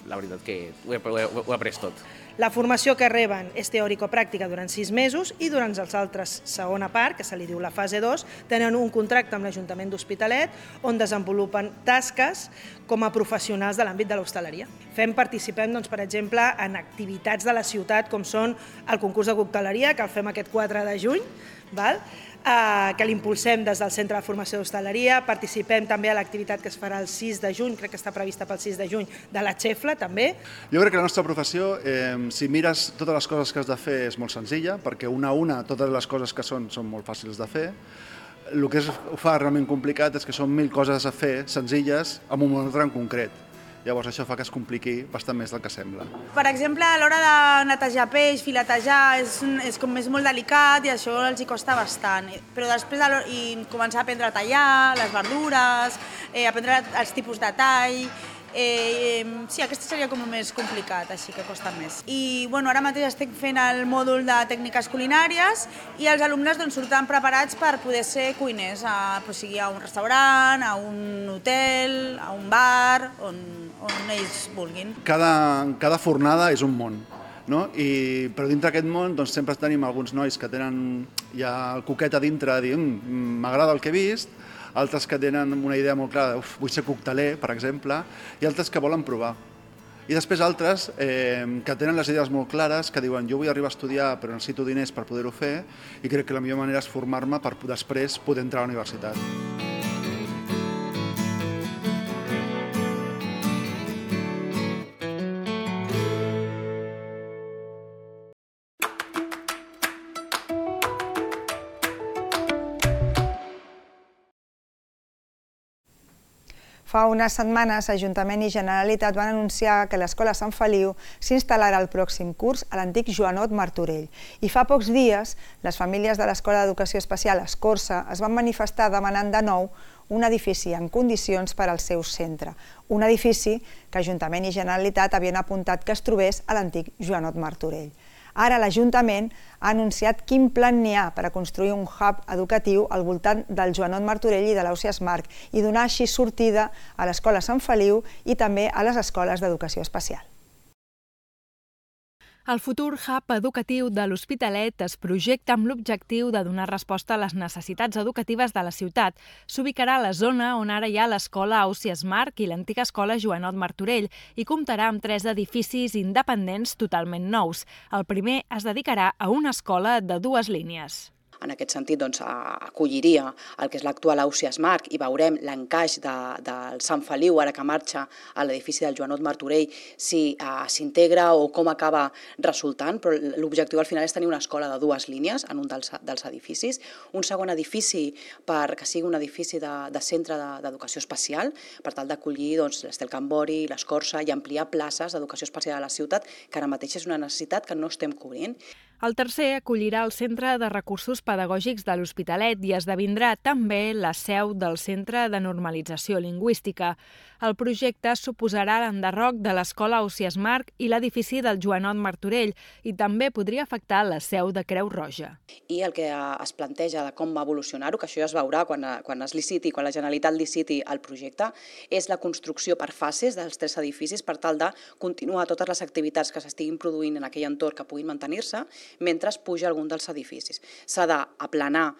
[SPEAKER 13] la veritat que ho he après tot.
[SPEAKER 11] La formació que reben és teòrico-pràctica durant 6 mesos i durant els altres segona part, que se li diu la fase 2, tenen un contracte amb l'Ajuntament d'Hospitalet on desenvolupen tasques com a professionals de l'àmbit de l'hostaleria. Participem, per exemple, en activitats de la ciutat com són el concurs de cocteleria, que el fem aquest 4 de juny, que l'impulsem des del Centre de Formació d'Hostaleria. Participem també a l'activitat que es farà el 6 de juny, crec que està prevista pel 6 de juny, de la Xefla, també.
[SPEAKER 14] Jo crec que la nostra professió, si mires totes les coses que has de fer, és molt senzilla, perquè una a una totes les coses que són molt fàcils de fer. El que ho fa realment complicat és que són 1000 coses a fer senzilles amb un altre en concret. Llavors això fa que es compliqui bastant més del que sembla.
[SPEAKER 15] Per exemple, a l'hora de netejar peix, filetejar, és molt delicat i això els hi costa bastant. Però després començar a aprendre a tallar, les verdures, aprendre els tipus de tall. Sí, aquest seria com el més complicat, així que costa més. I ara mateix estic fent el mòdul de tècniques culinàries i els alumnes surten preparats per poder ser cuiners, sigui a un restaurant, a un hotel, a un bar, on ells vulguin.
[SPEAKER 14] Cada fornada és un món, però dintre d'aquest món sempre tenim alguns nois que tenen ja el coquet a dintre de dir m'agrada el que he vist, altres que tenen una idea molt clara, vull ser cocteler, per exemple, i altres que volen provar. I després altres que tenen les idees molt clares, que diuen jo vull arribar a estudiar però necessito diners per poder-ho fer i crec que la millor manera és formar-me per després poder entrar a la universitat.
[SPEAKER 2] Fa unes setmanes, Ajuntament i Generalitat van anunciar que l'Escola Sant Feliu s'instal·larà el pròxim curs a l'antic Joanot Martorell. I fa pocs dies, les famílies de l'Escola d'Educació Especial Escorça es van manifestar demanant de nou un edifici en condicions per al seu centre. Un edifici que Ajuntament i Generalitat havien apuntat que es trobés a l'antic Joanot Martorell. Ara l'Ajuntament ha anunciat quin plan n'hi ha per a construir un hub educatiu al voltant del Joanot Martorell i de l'Ausiàs Marc i donar així sortida a l'Escola Sant Feliu i també a les escoles d'educació especial.
[SPEAKER 1] El futur hub educatiu de l'Hospitalet es projecta amb l'objectiu de donar resposta a les necessitats educatives de la ciutat. S'ubicarà a la zona on ara hi ha l'escola Ausiàs Marc i l'antiga escola Joanot Martorell i comptarà amb 3 edificis independents totalment nous. El primer es dedicarà a una escola de 2 línies.
[SPEAKER 16] En aquest sentit, acolliria el que és l'actual Ausiàs Marc i veurem l'encaix del Sant Feliu, ara que marxa a l'edifici del Joanot Martorell, si s'integra o com acaba resultant, però l'objectiu al final és tenir una escola de 2 línies en un dels edificis, un segon edifici perquè sigui un edifici de centre d'educació especial, per tal d'acollir l'Estel Cambori, l'Escorça i ampliar places d'educació especial a la ciutat, que ara mateix és una necessitat que no estem cobrint.
[SPEAKER 1] El tercer acollirà el Centre de Recursos Pedagògics de l'Hospitalet i esdevindrà també la seu del Centre de Normalització Lingüística. El projecte suposarà l'enderroc de l'Escola Ausiàs Marc i l'edifici del Joanot Martorell i també podria afectar la seu de Creu Roja.
[SPEAKER 16] I el que es planteja de com va evolucionar-ho, que això ja es veurà quan es liciti, quan la Generalitat liciti el projecte, és la construcció per fases dels 3 edificis per tal de continuar totes les activitats que s'estiguin produint en aquell entorn que puguin mantenir-se mentre es puja algun dels edificis. S'ha d'aplanar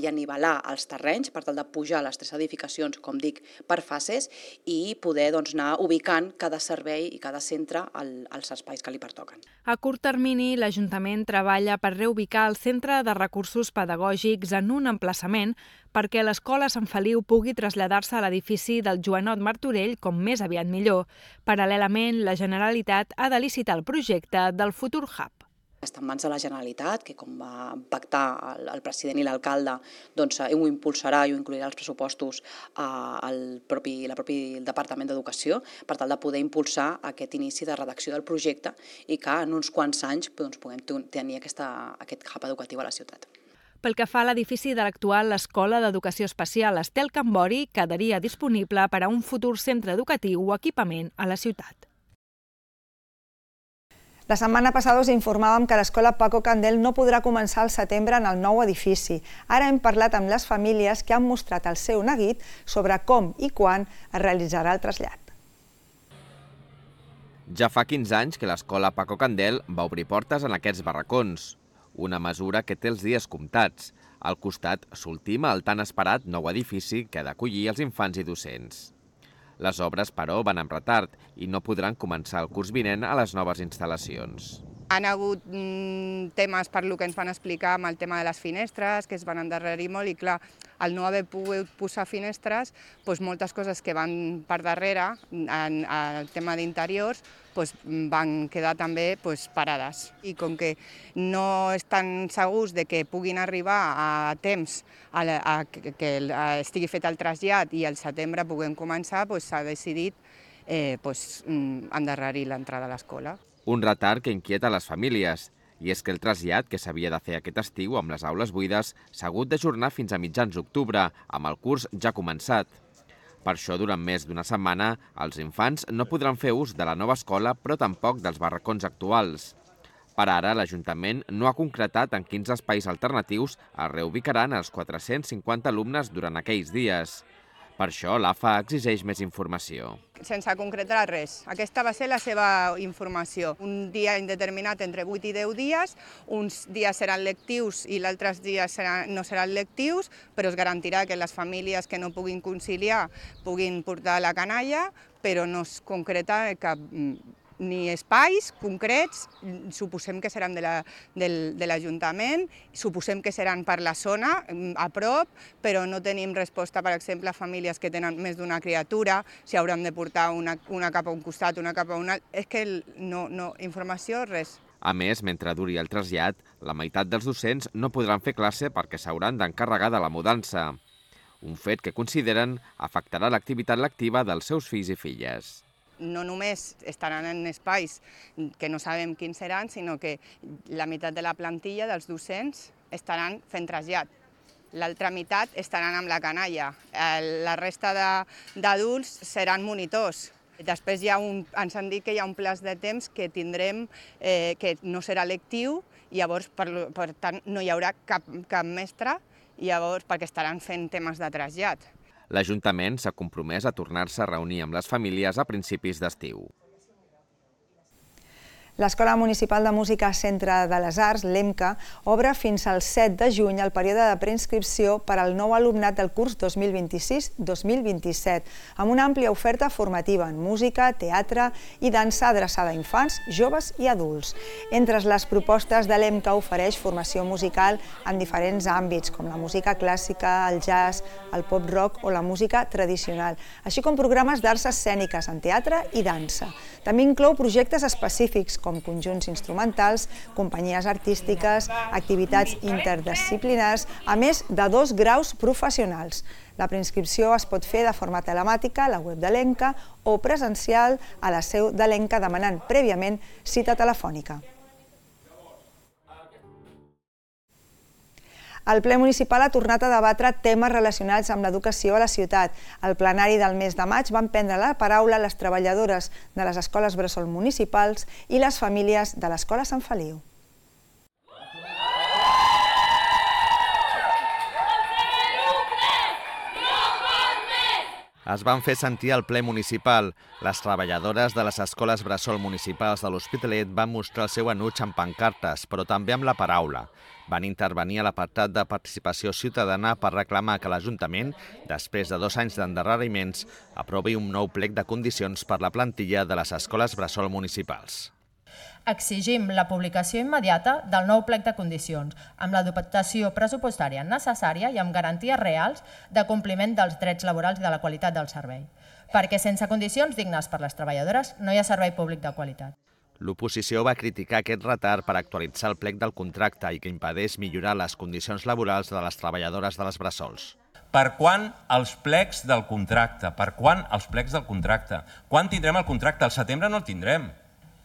[SPEAKER 16] i anivelar els terrenys per tal de pujar les 3 edificacions, com dic, per fases i poder anar ubicant cada servei i cada centre als espais que li pertoquen.
[SPEAKER 1] A curt termini, l'Ajuntament treballa per reubicar el Centre de Recursos Pedagògics en un emplaçament perquè l'Escola Sant Feliu pugui traslladar-se a l'edifici del Joanot Martorell com més aviat millor. Paral·lelament, la Generalitat ha de licitar el projecte del futur hub.
[SPEAKER 16] Està en mans de la Generalitat, que com va pactar el president i l'alcalde, ho impulsarà i ho incluirà als pressupostos el propi Departament d'Educació per tal de poder impulsar aquest inici de redacció del projecte i que en uns quants anys puguem tenir aquest hub educatiu a la ciutat.
[SPEAKER 1] Pel que fa a l'edifici de l'actual Escola d'Educació Especial Estel Cambori, quedaria disponible per a un futur centre educatiu o equipament a la ciutat.
[SPEAKER 2] La setmana passada us informàvem que l'escola Paco Candel no podrà començar al setembre en el nou edifici. Ara hem parlat amb les famílies que han mostrat el seu neguit sobre com i quan es realitzarà el trasllat.
[SPEAKER 17] Ja fa 15 anys que l'escola Paco Candel va obrir portes en aquests barracons, una mesura que té els dies comptats. Al costat s'ultima el tan esperat nou edifici que ha d'acollir els infants i docents. Les obres, però, van amb retard i no podran començar el curs vinent a les noves instal·lacions.
[SPEAKER 18] Han hagut temes per lo que ens van explicar amb el tema de les finestres, que es van endarrerir molt i clar, al no haver pogut posar finestres, moltes coses que van per darrere, en el tema d'interiors, van quedar també parades. I com que no estan segurs de que puguin arribar a temps que estigui fet el trasllat i al setembre puguem començar, s'ha decidit endarrerir l'entrada a l'escola.
[SPEAKER 17] Un retard que inquieta les famílies, i és que el trasllat que s'havia de fer aquest estiu amb les aules buides s'ha hagut d'ajornar fins a mitjans d'octubre, amb el curs ja començat. Per això, durant més d'una setmana, els infants no podran fer ús de la nova escola, però tampoc dels barracons actuals. Per ara, l'Ajuntament no ha concretat en quins espais alternatius es reubicaran els 450 alumnes durant aquells dies. Per això, l'AFA exigeix més informació.
[SPEAKER 18] Sense concretar res. Aquesta va ser la seva informació. Un dia indeterminat entre 8 i 10 dies, uns dies seran lectius i els altres dies no seran lectius, però es garantirà que les famílies que no puguin conciliar puguin portar la canalla, però no es concreta cap ni espais concrets, suposem que seran de l'Ajuntament, suposem que seran per la zona, a prop, però no tenim resposta, per exemple, a famílies que tenen més d'una criatura, si hauran de portar una cap a un costat, una cap a un altre, és que no, informació, res.
[SPEAKER 17] A més, mentre duri el trasllat, la meitat dels docents no podran fer classe perquè s'hauran d'encarregar de la mudança. Un fet que consideren afectarà l'activitat lectiva dels seus fills i filles.
[SPEAKER 18] No només estaran en espais que no sabem quins seran, sinó que la meitat de la plantilla dels docents estaran fent trasllat. L'altra meitat estaran amb la canalla. La resta d'adults seran monitors. Després ens han dit que hi ha un plaç de temps que tindrem que no serà lectiu, i llavors, per tant, no hi haurà cap mestre, perquè estaran fent temes de trasllat.
[SPEAKER 17] L'Ajuntament s'ha compromès a tornar-se a reunir amb les famílies a principis d'estiu.
[SPEAKER 2] L'Escola Municipal de Música Centre de les Arts, l'EMCA, obre fins al 7 de juny el període de preinscripció per al nou alumnat del curs 2026-2027, amb una àmplia oferta formativa en música, teatre i dansa adreçada a infants, joves i adults. Entre les propostes de l'EMCA ofereix formació musical en diferents àmbits, com la música clàssica, el jazz, el pop-rock o la música tradicional, així com programes d'arts escèniques en teatre i dansa. També inclou projectes específics, com conjunts instrumentals, companyies artístiques, activitats interdisciplinars, a més de 2 graus professionals. La preinscripció es pot fer de forma telemàtica a la web de l'EMCA o presencial a la seu de l'EMCA demanant prèviament cita telefònica. El ple municipal ha tornat a debatre temes relacionats amb l'educació a la ciutat. Al plenari del mes de maig van prendre la paraula les treballadores de les escoles bressol municipals i les famílies de l'Escola Sant Feliu.
[SPEAKER 17] Es van fer sentir al ple municipal. Les treballadores de les escoles bressol municipals de l'Hospitalet van mostrar el seu enuig amb pancartes, però també amb la paraula. Van intervenir a l'apartat de participació ciutadana per reclamar que l'Ajuntament, després de 2 anys d'endarreriments, aprovi un nou plec de condicions per la plantilla de les escoles bressol municipals.
[SPEAKER 19] Exigim la publicació immediata del nou plec de condicions, amb la dotació pressupostària necessària i amb garanties reals de compliment dels drets laborals i de la qualitat del servei. Perquè sense condicions dignes per les treballadores no hi ha servei públic de qualitat.
[SPEAKER 17] L'oposició va criticar aquest retard per actualitzar el plec del contracte i que impedeix millorar les condicions laborals de les treballadores de les bressols.
[SPEAKER 20] Per quan els plecs del contracte? Per quan els plecs del contracte? Quan tindrem el contracte? Al setembre no el tindrem.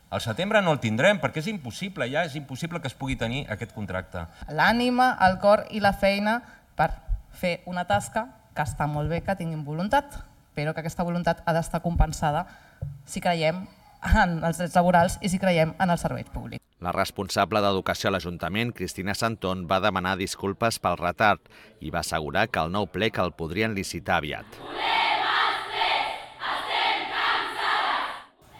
[SPEAKER 20] Al setembre no el tindrem perquè és impossible, ja és impossible que es pugui tenir aquest contracte.
[SPEAKER 21] L'ànima, el cor i la feina per fer una tasca que està molt bé que tinguin voluntat, però que aquesta voluntat ha d'estar compensada si creiem en els drets laborals i si creiem en els serveis públics.
[SPEAKER 17] La responsable d'Educació a l'Ajuntament, Cristina Santón, va demanar disculpes pel retard i va assegurar que el nou plec el podrien licitar aviat.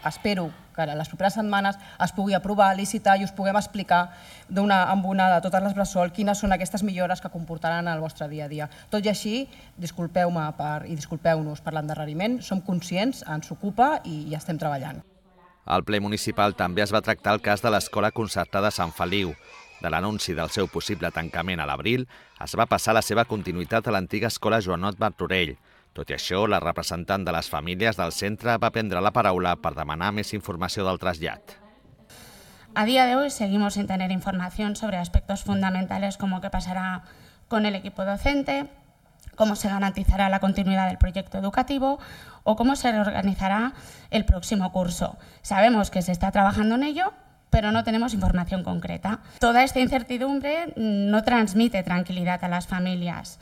[SPEAKER 21] Espero que en les properes setmanes es pugui aprovar, licitar i us puguem explicar amb una de totes les bressol quines són aquestes millores que comportaran el vostre dia a dia. Tot i així, disculpeu-me i disculpeu-nos per l'endarreriment, som conscients, ens ocupa i estem treballant.
[SPEAKER 17] Al ple municipal també es va tractar el cas de l'Escola Concertada Sant Feliu. De l'anunci del seu possible tancament a l'abril, es va passar la seva continuïtat a l'antiga escola Joanot Martorell. Tot i això, la representant de les famílies del centre va prendre la paraula per demanar més informació del trasllat.
[SPEAKER 22] A día de hoy seguimos sin tener información sobre aspectos fundamentales como qué pasará con el equipo docente, cómo se garantizará la continuidad del proyecto educativo o cómo se reorganizará el próximo curso. Sabemos que se está trabajando en ello, pero no tenemos información concreta. Toda esta incertidumbre no transmite tranquilidad a las familias.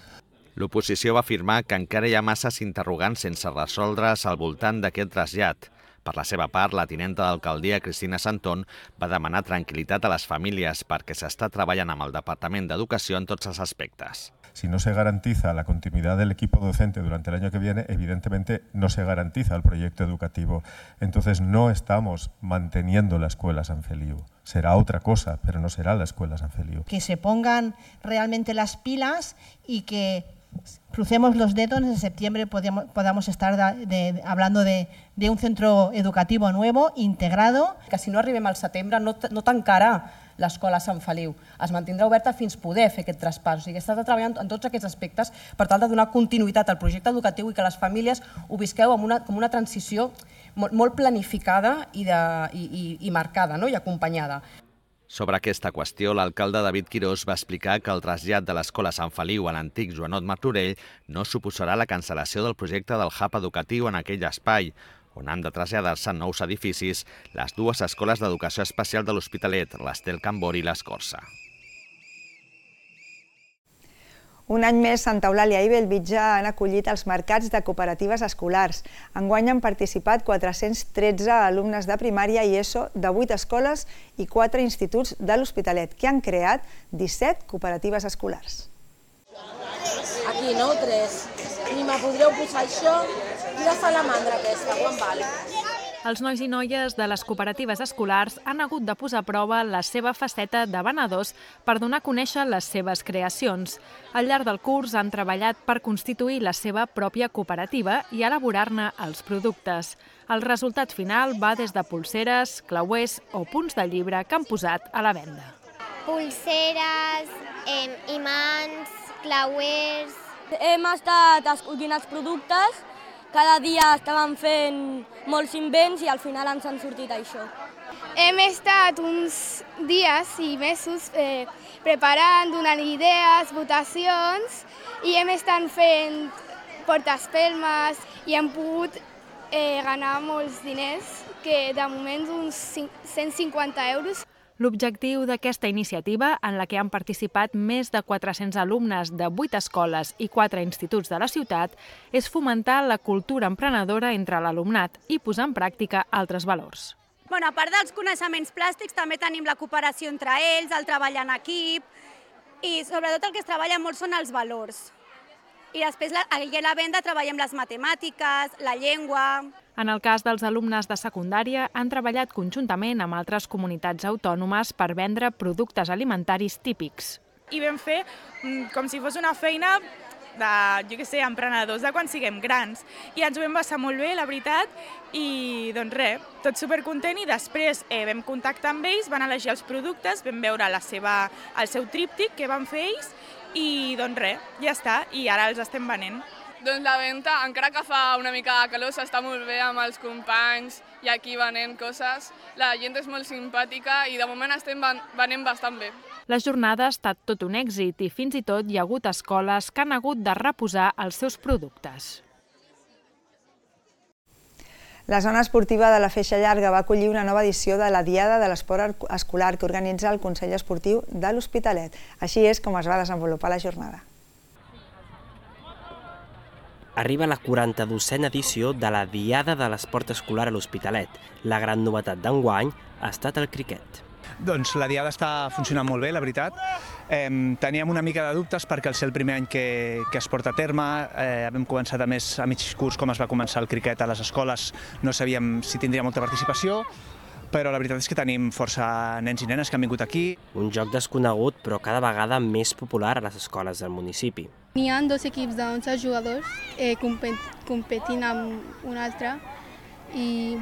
[SPEAKER 17] L'oposició va afirmar que encara hi ha masses interrogants sense resoldre's al voltant d'aquest trasllat. Per la seva part, la tinenta d'alcaldia, Cristina Santón, va demanar tranquil·litat a les famílies perquè s'està treballant amb el Departament d'Educació en tots els aspectes.
[SPEAKER 23] Si no se garantiza la continuidad del equipo docente durante el año que viene, evidentemente no se garantiza el proyecto educativo. Entonces no estamos manteniendo la Escuela San Feliu. Será otra cosa, pero no será la Escuela San Feliu.
[SPEAKER 24] Que se pongan realmente las pilas y que crucemos los dedos, en septiembre podamos estar hablando de un centro educativo nuevo, integrado.
[SPEAKER 21] Que si no arribem al setembre no tancarà l'Escola Sant Feliu. Es mantindrà oberta fins poder fer aquest traspàs. O sigui, està treballant en tots aquests aspectes per tal de donar continuïtat al projecte educatiu i que les famílies ho visqueu com una transició molt planificada i marcada i acompanyada.
[SPEAKER 17] Sobre aquesta qüestió, l'alcalde David Quirós va explicar que el trasllat de l'Escola Sant Feliu a l'antic Joanot Martorell no suposarà la cancel·lació del projecte del hub educatiu en aquell espai, on han de traslladar-se en nous edificis les dues escoles d'educació especial de l'Hospitalet, l'Estel Can Bori i l'Escorça.
[SPEAKER 2] Un any més, Santa Eulàlia i Bellvitge han acollit els mercats de cooperatives escolars. Enguany han participat 413 alumnes de primària i ESO de 8 escoles i 4 instituts de l'Hospitalet, que han creat 17 cooperatives escolars.
[SPEAKER 3] Aquí, no? 3. Ni me podríeu posar això i la salamandra aquesta, quan val?
[SPEAKER 1] Els nois i noies de les cooperatives escolars han hagut de posar a prova la seva faceta de venedors per donar a conèixer les seves creacions. Al llarg del curs han treballat per constituir la seva pròpia cooperativa i elaborar-ne els productes. El resultat final va des de pulseres, clauers o punts de llibre que han posat a la venda.
[SPEAKER 4] Pulseres, imants, clauers...
[SPEAKER 5] Hem estat escollint els productes, cada dia estàvem fent molts invents i al final ens han sortit això.
[SPEAKER 6] Hem estat uns dies i mesos preparant, donant idees, votacions i hem estat fent portaespelmes i hem pogut ganar molts diners, que de moment uns 150 euros.
[SPEAKER 1] L'objectiu d'aquesta iniciativa, en la que han participat més de 400 alumnes de 8 escoles i 4 instituts de la ciutat, és fomentar la cultura emprenedora entre l'alumnat i posar en pràctica altres valors.
[SPEAKER 25] A part dels coneixements plàstics, també tenim la cooperació entre ells, el treball en equip i sobretot el que es treballa molt són els valors. I després a la venda treballem les matemàtiques, la llengua...
[SPEAKER 1] En el cas dels alumnes de secundària, han treballat conjuntament amb altres comunitats autònomes per vendre productes alimentaris típics.
[SPEAKER 10] I vam fer com si fos una feina de, emprenedors de quan siguem grans. I ens ho vam passar molt bé, la veritat, i doncs res, tot supercontent. I després vam contactar amb ells, van elegir els productes, vam veure el seu tríptic que van fer ells, i doncs res, ja està, i ara els estem venent.
[SPEAKER 26] Doncs la venda, encara que fa una mica de calor, s'està molt bé amb els companys i aquí venent coses. La gent és molt simpàtica i de moment estem venent bastant bé.
[SPEAKER 1] La jornada ha estat tot un èxit i fins i tot hi ha hagut escoles que han hagut de reposar els seus productes.
[SPEAKER 2] La zona esportiva de la Feixa Llarga va acollir una nova edició de la Diada de l'Esport Escolar que organitza el Consell Esportiu de l'Hospitalet. Així és com es va desenvolupar la jornada.
[SPEAKER 27] Arriba la 42a edició de la Diada de l'Esport Escolar a l'Hospitalet. La gran novetat d'enguany ha estat el criquet.
[SPEAKER 28] Doncs la Diada està funcionant molt bé, la veritat. Teníem una mica de dubtes perquè al ser el primer any que es porta a terme, vam començar a mig curs com es va començar el criquet a les escoles, no sabíem si tindria molta participació, però la veritat és que tenim força nens i nenes que han vingut aquí.
[SPEAKER 27] Un joc desconegut però cada vegada més popular a les escoles del municipi.
[SPEAKER 6] N'hi ha 2 equips de 11 jugadors competint amb un altre i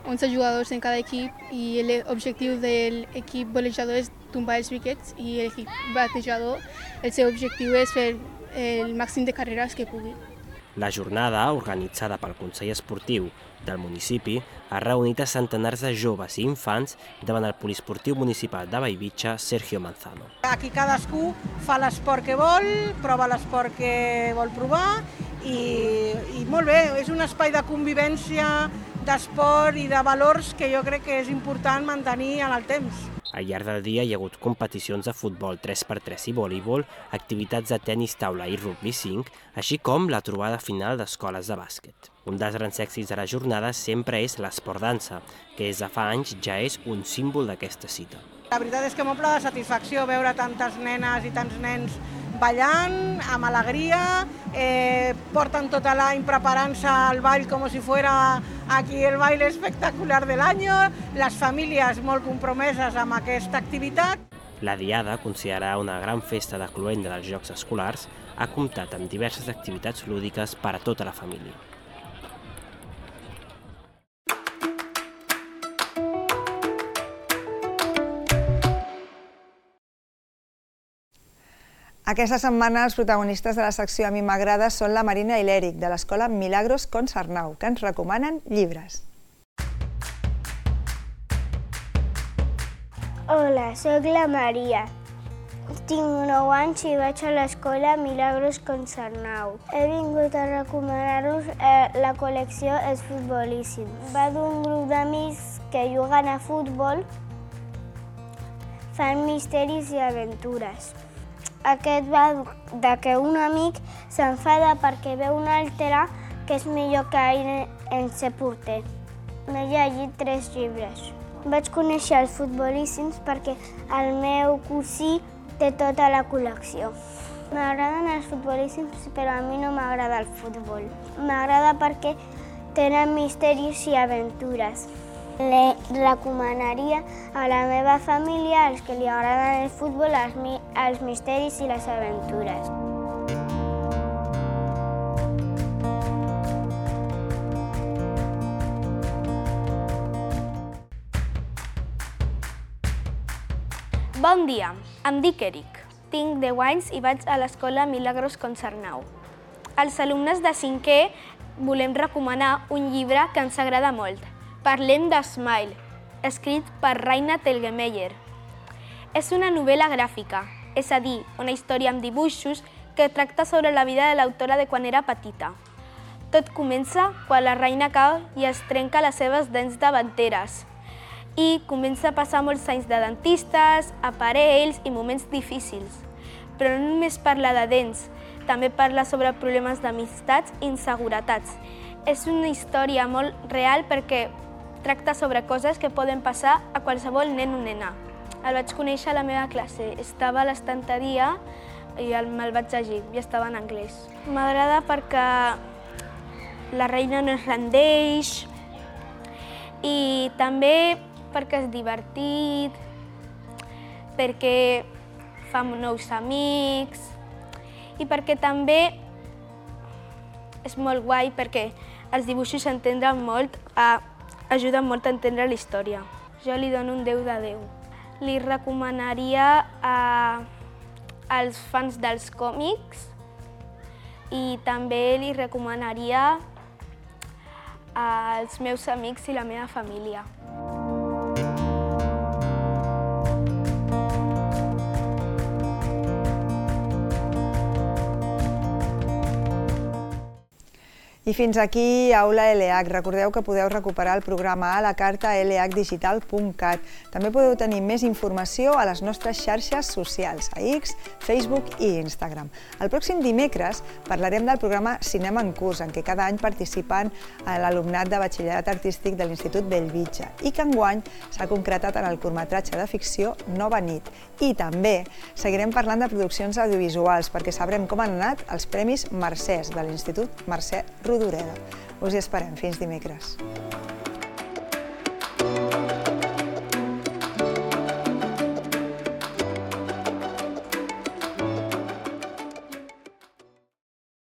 [SPEAKER 6] 11 jugadors en cada equip i l'objectiu de l'equip golejador és tombar els wickets i l'equip batejador, el seu objectiu és fer el màxim de carreres que pugui.
[SPEAKER 27] La jornada, organitzada pel Consell Esportiu del municipi, ha reunit a centenars de joves i infants davant el poliesportiu municipal de Bellvitge, Sergio Manzano.
[SPEAKER 29] Aquí cadascú fa l'esport que vol, prova l'esport que vol provar i molt bé, és un espai de convivència, d'esport i de valors que jo crec que és important mantenir en el temps.
[SPEAKER 27] Al llarg del dia hi ha hagut competicions de futbol 3x3 i voleibol, activitats de tenis taula i rugby 5, així com la trobada final d'escoles de bàsquet. Un dels grans èxits de la jornada sempre és l'esport dansa, que des de fa anys ja és un símbol d'aquesta cita.
[SPEAKER 29] La veritat és que m'omple de satisfacció veure tantes nenes i tants nens ballant, amb alegria, porten tot l'any preparant-se al ball com si fuera aquí el baile espectacular del año, les famílies molt compromeses amb aquesta activitat.
[SPEAKER 27] La Diada, considerada una gran festa de cloenda dels Jocs Escolars, ha comptat amb diverses activitats lúdiques per a tota la família.
[SPEAKER 2] Aquesta setmana els protagonistes de la secció A mi m'agrada són la Marina i l'Eric, de l'escola Milagros Contsarnau, que ens recomanen llibres.
[SPEAKER 30] Hola, sóc la Maria. Tinc 9 anys i vaig a l'escola Milagros Contsarnau. He vingut a recomanar-vos la col·lecció És futbolíssim. Va d'un grup d'amics que juguen a futbol, fan misteris i aventures. Aquest va de que un amic s'enfada perquè veu un altre que és millor que ell en se porter. M'he llegit 3 llibres. Vaig conèixer els futbolíssims perquè el meu cosí té tota la col·lecció. M'agraden els futbolíssims, però a mi no m'agrada el futbol. M'agrada perquè tenen misteris i aventures. Li recomanaria a la meva família, als que li agraden el futbol, els misteris i les aventures.
[SPEAKER 7] Bon dia, em dic Eric. Tinc 10 anys i vaig a l'escola Milagros Concernau. Als alumnes de 5è volem recomanar un llibre que ens agrada molt. Parlem de Smile, escrit per Raina Telgemeier. És una novel·la gràfica, és a dir, una història amb dibuixos que tracta sobre la vida de l'autora de quan era petita. Tot comença quan la Raina cau i es trenca les seves dents davanteres. I comença a passar molts anys de dentistes, aparells i moments difícils. Però no només parla de dents, també parla sobre problemes d'amistats i inseguretats. És una història molt real perquè tracta sobre coses que poden passar a qualsevol nen o nena. El vaig conèixer a la meva classe, estava a l'estanteria i me'l vaig llegir i estava en anglès. M'agrada perquè la Reina no es rendeix i també perquè és divertit, perquè fa nous amics i perquè també és molt guai perquè els dibuixos s'entenen molt, ajuden molt a entendre la història. Jo li dono un 10 de 10. Li recomanaria als fans dels còmics i també li recomanaria als meus amics i la meva família.
[SPEAKER 2] I fins aquí Aula LH. Recordeu que podeu recuperar el programa a la carta a lhdigital.cat. També podeu tenir més informació a les nostres xarxes socials, a X, Facebook i Instagram. El pròxim dimecres parlarem del programa Cinema en Curs, en què cada any participen l'alumnat de batxillerat artístic de l'Institut Bellvitge i que enguany s'ha concretat en el curtmetratge de ficció Nova nit. I també seguirem parlant de produccions audiovisuals perquè sabrem com han anat els Premis Mercès de l'Institut Mercè Rodoreda. Us hi esperem. Fins dimecres.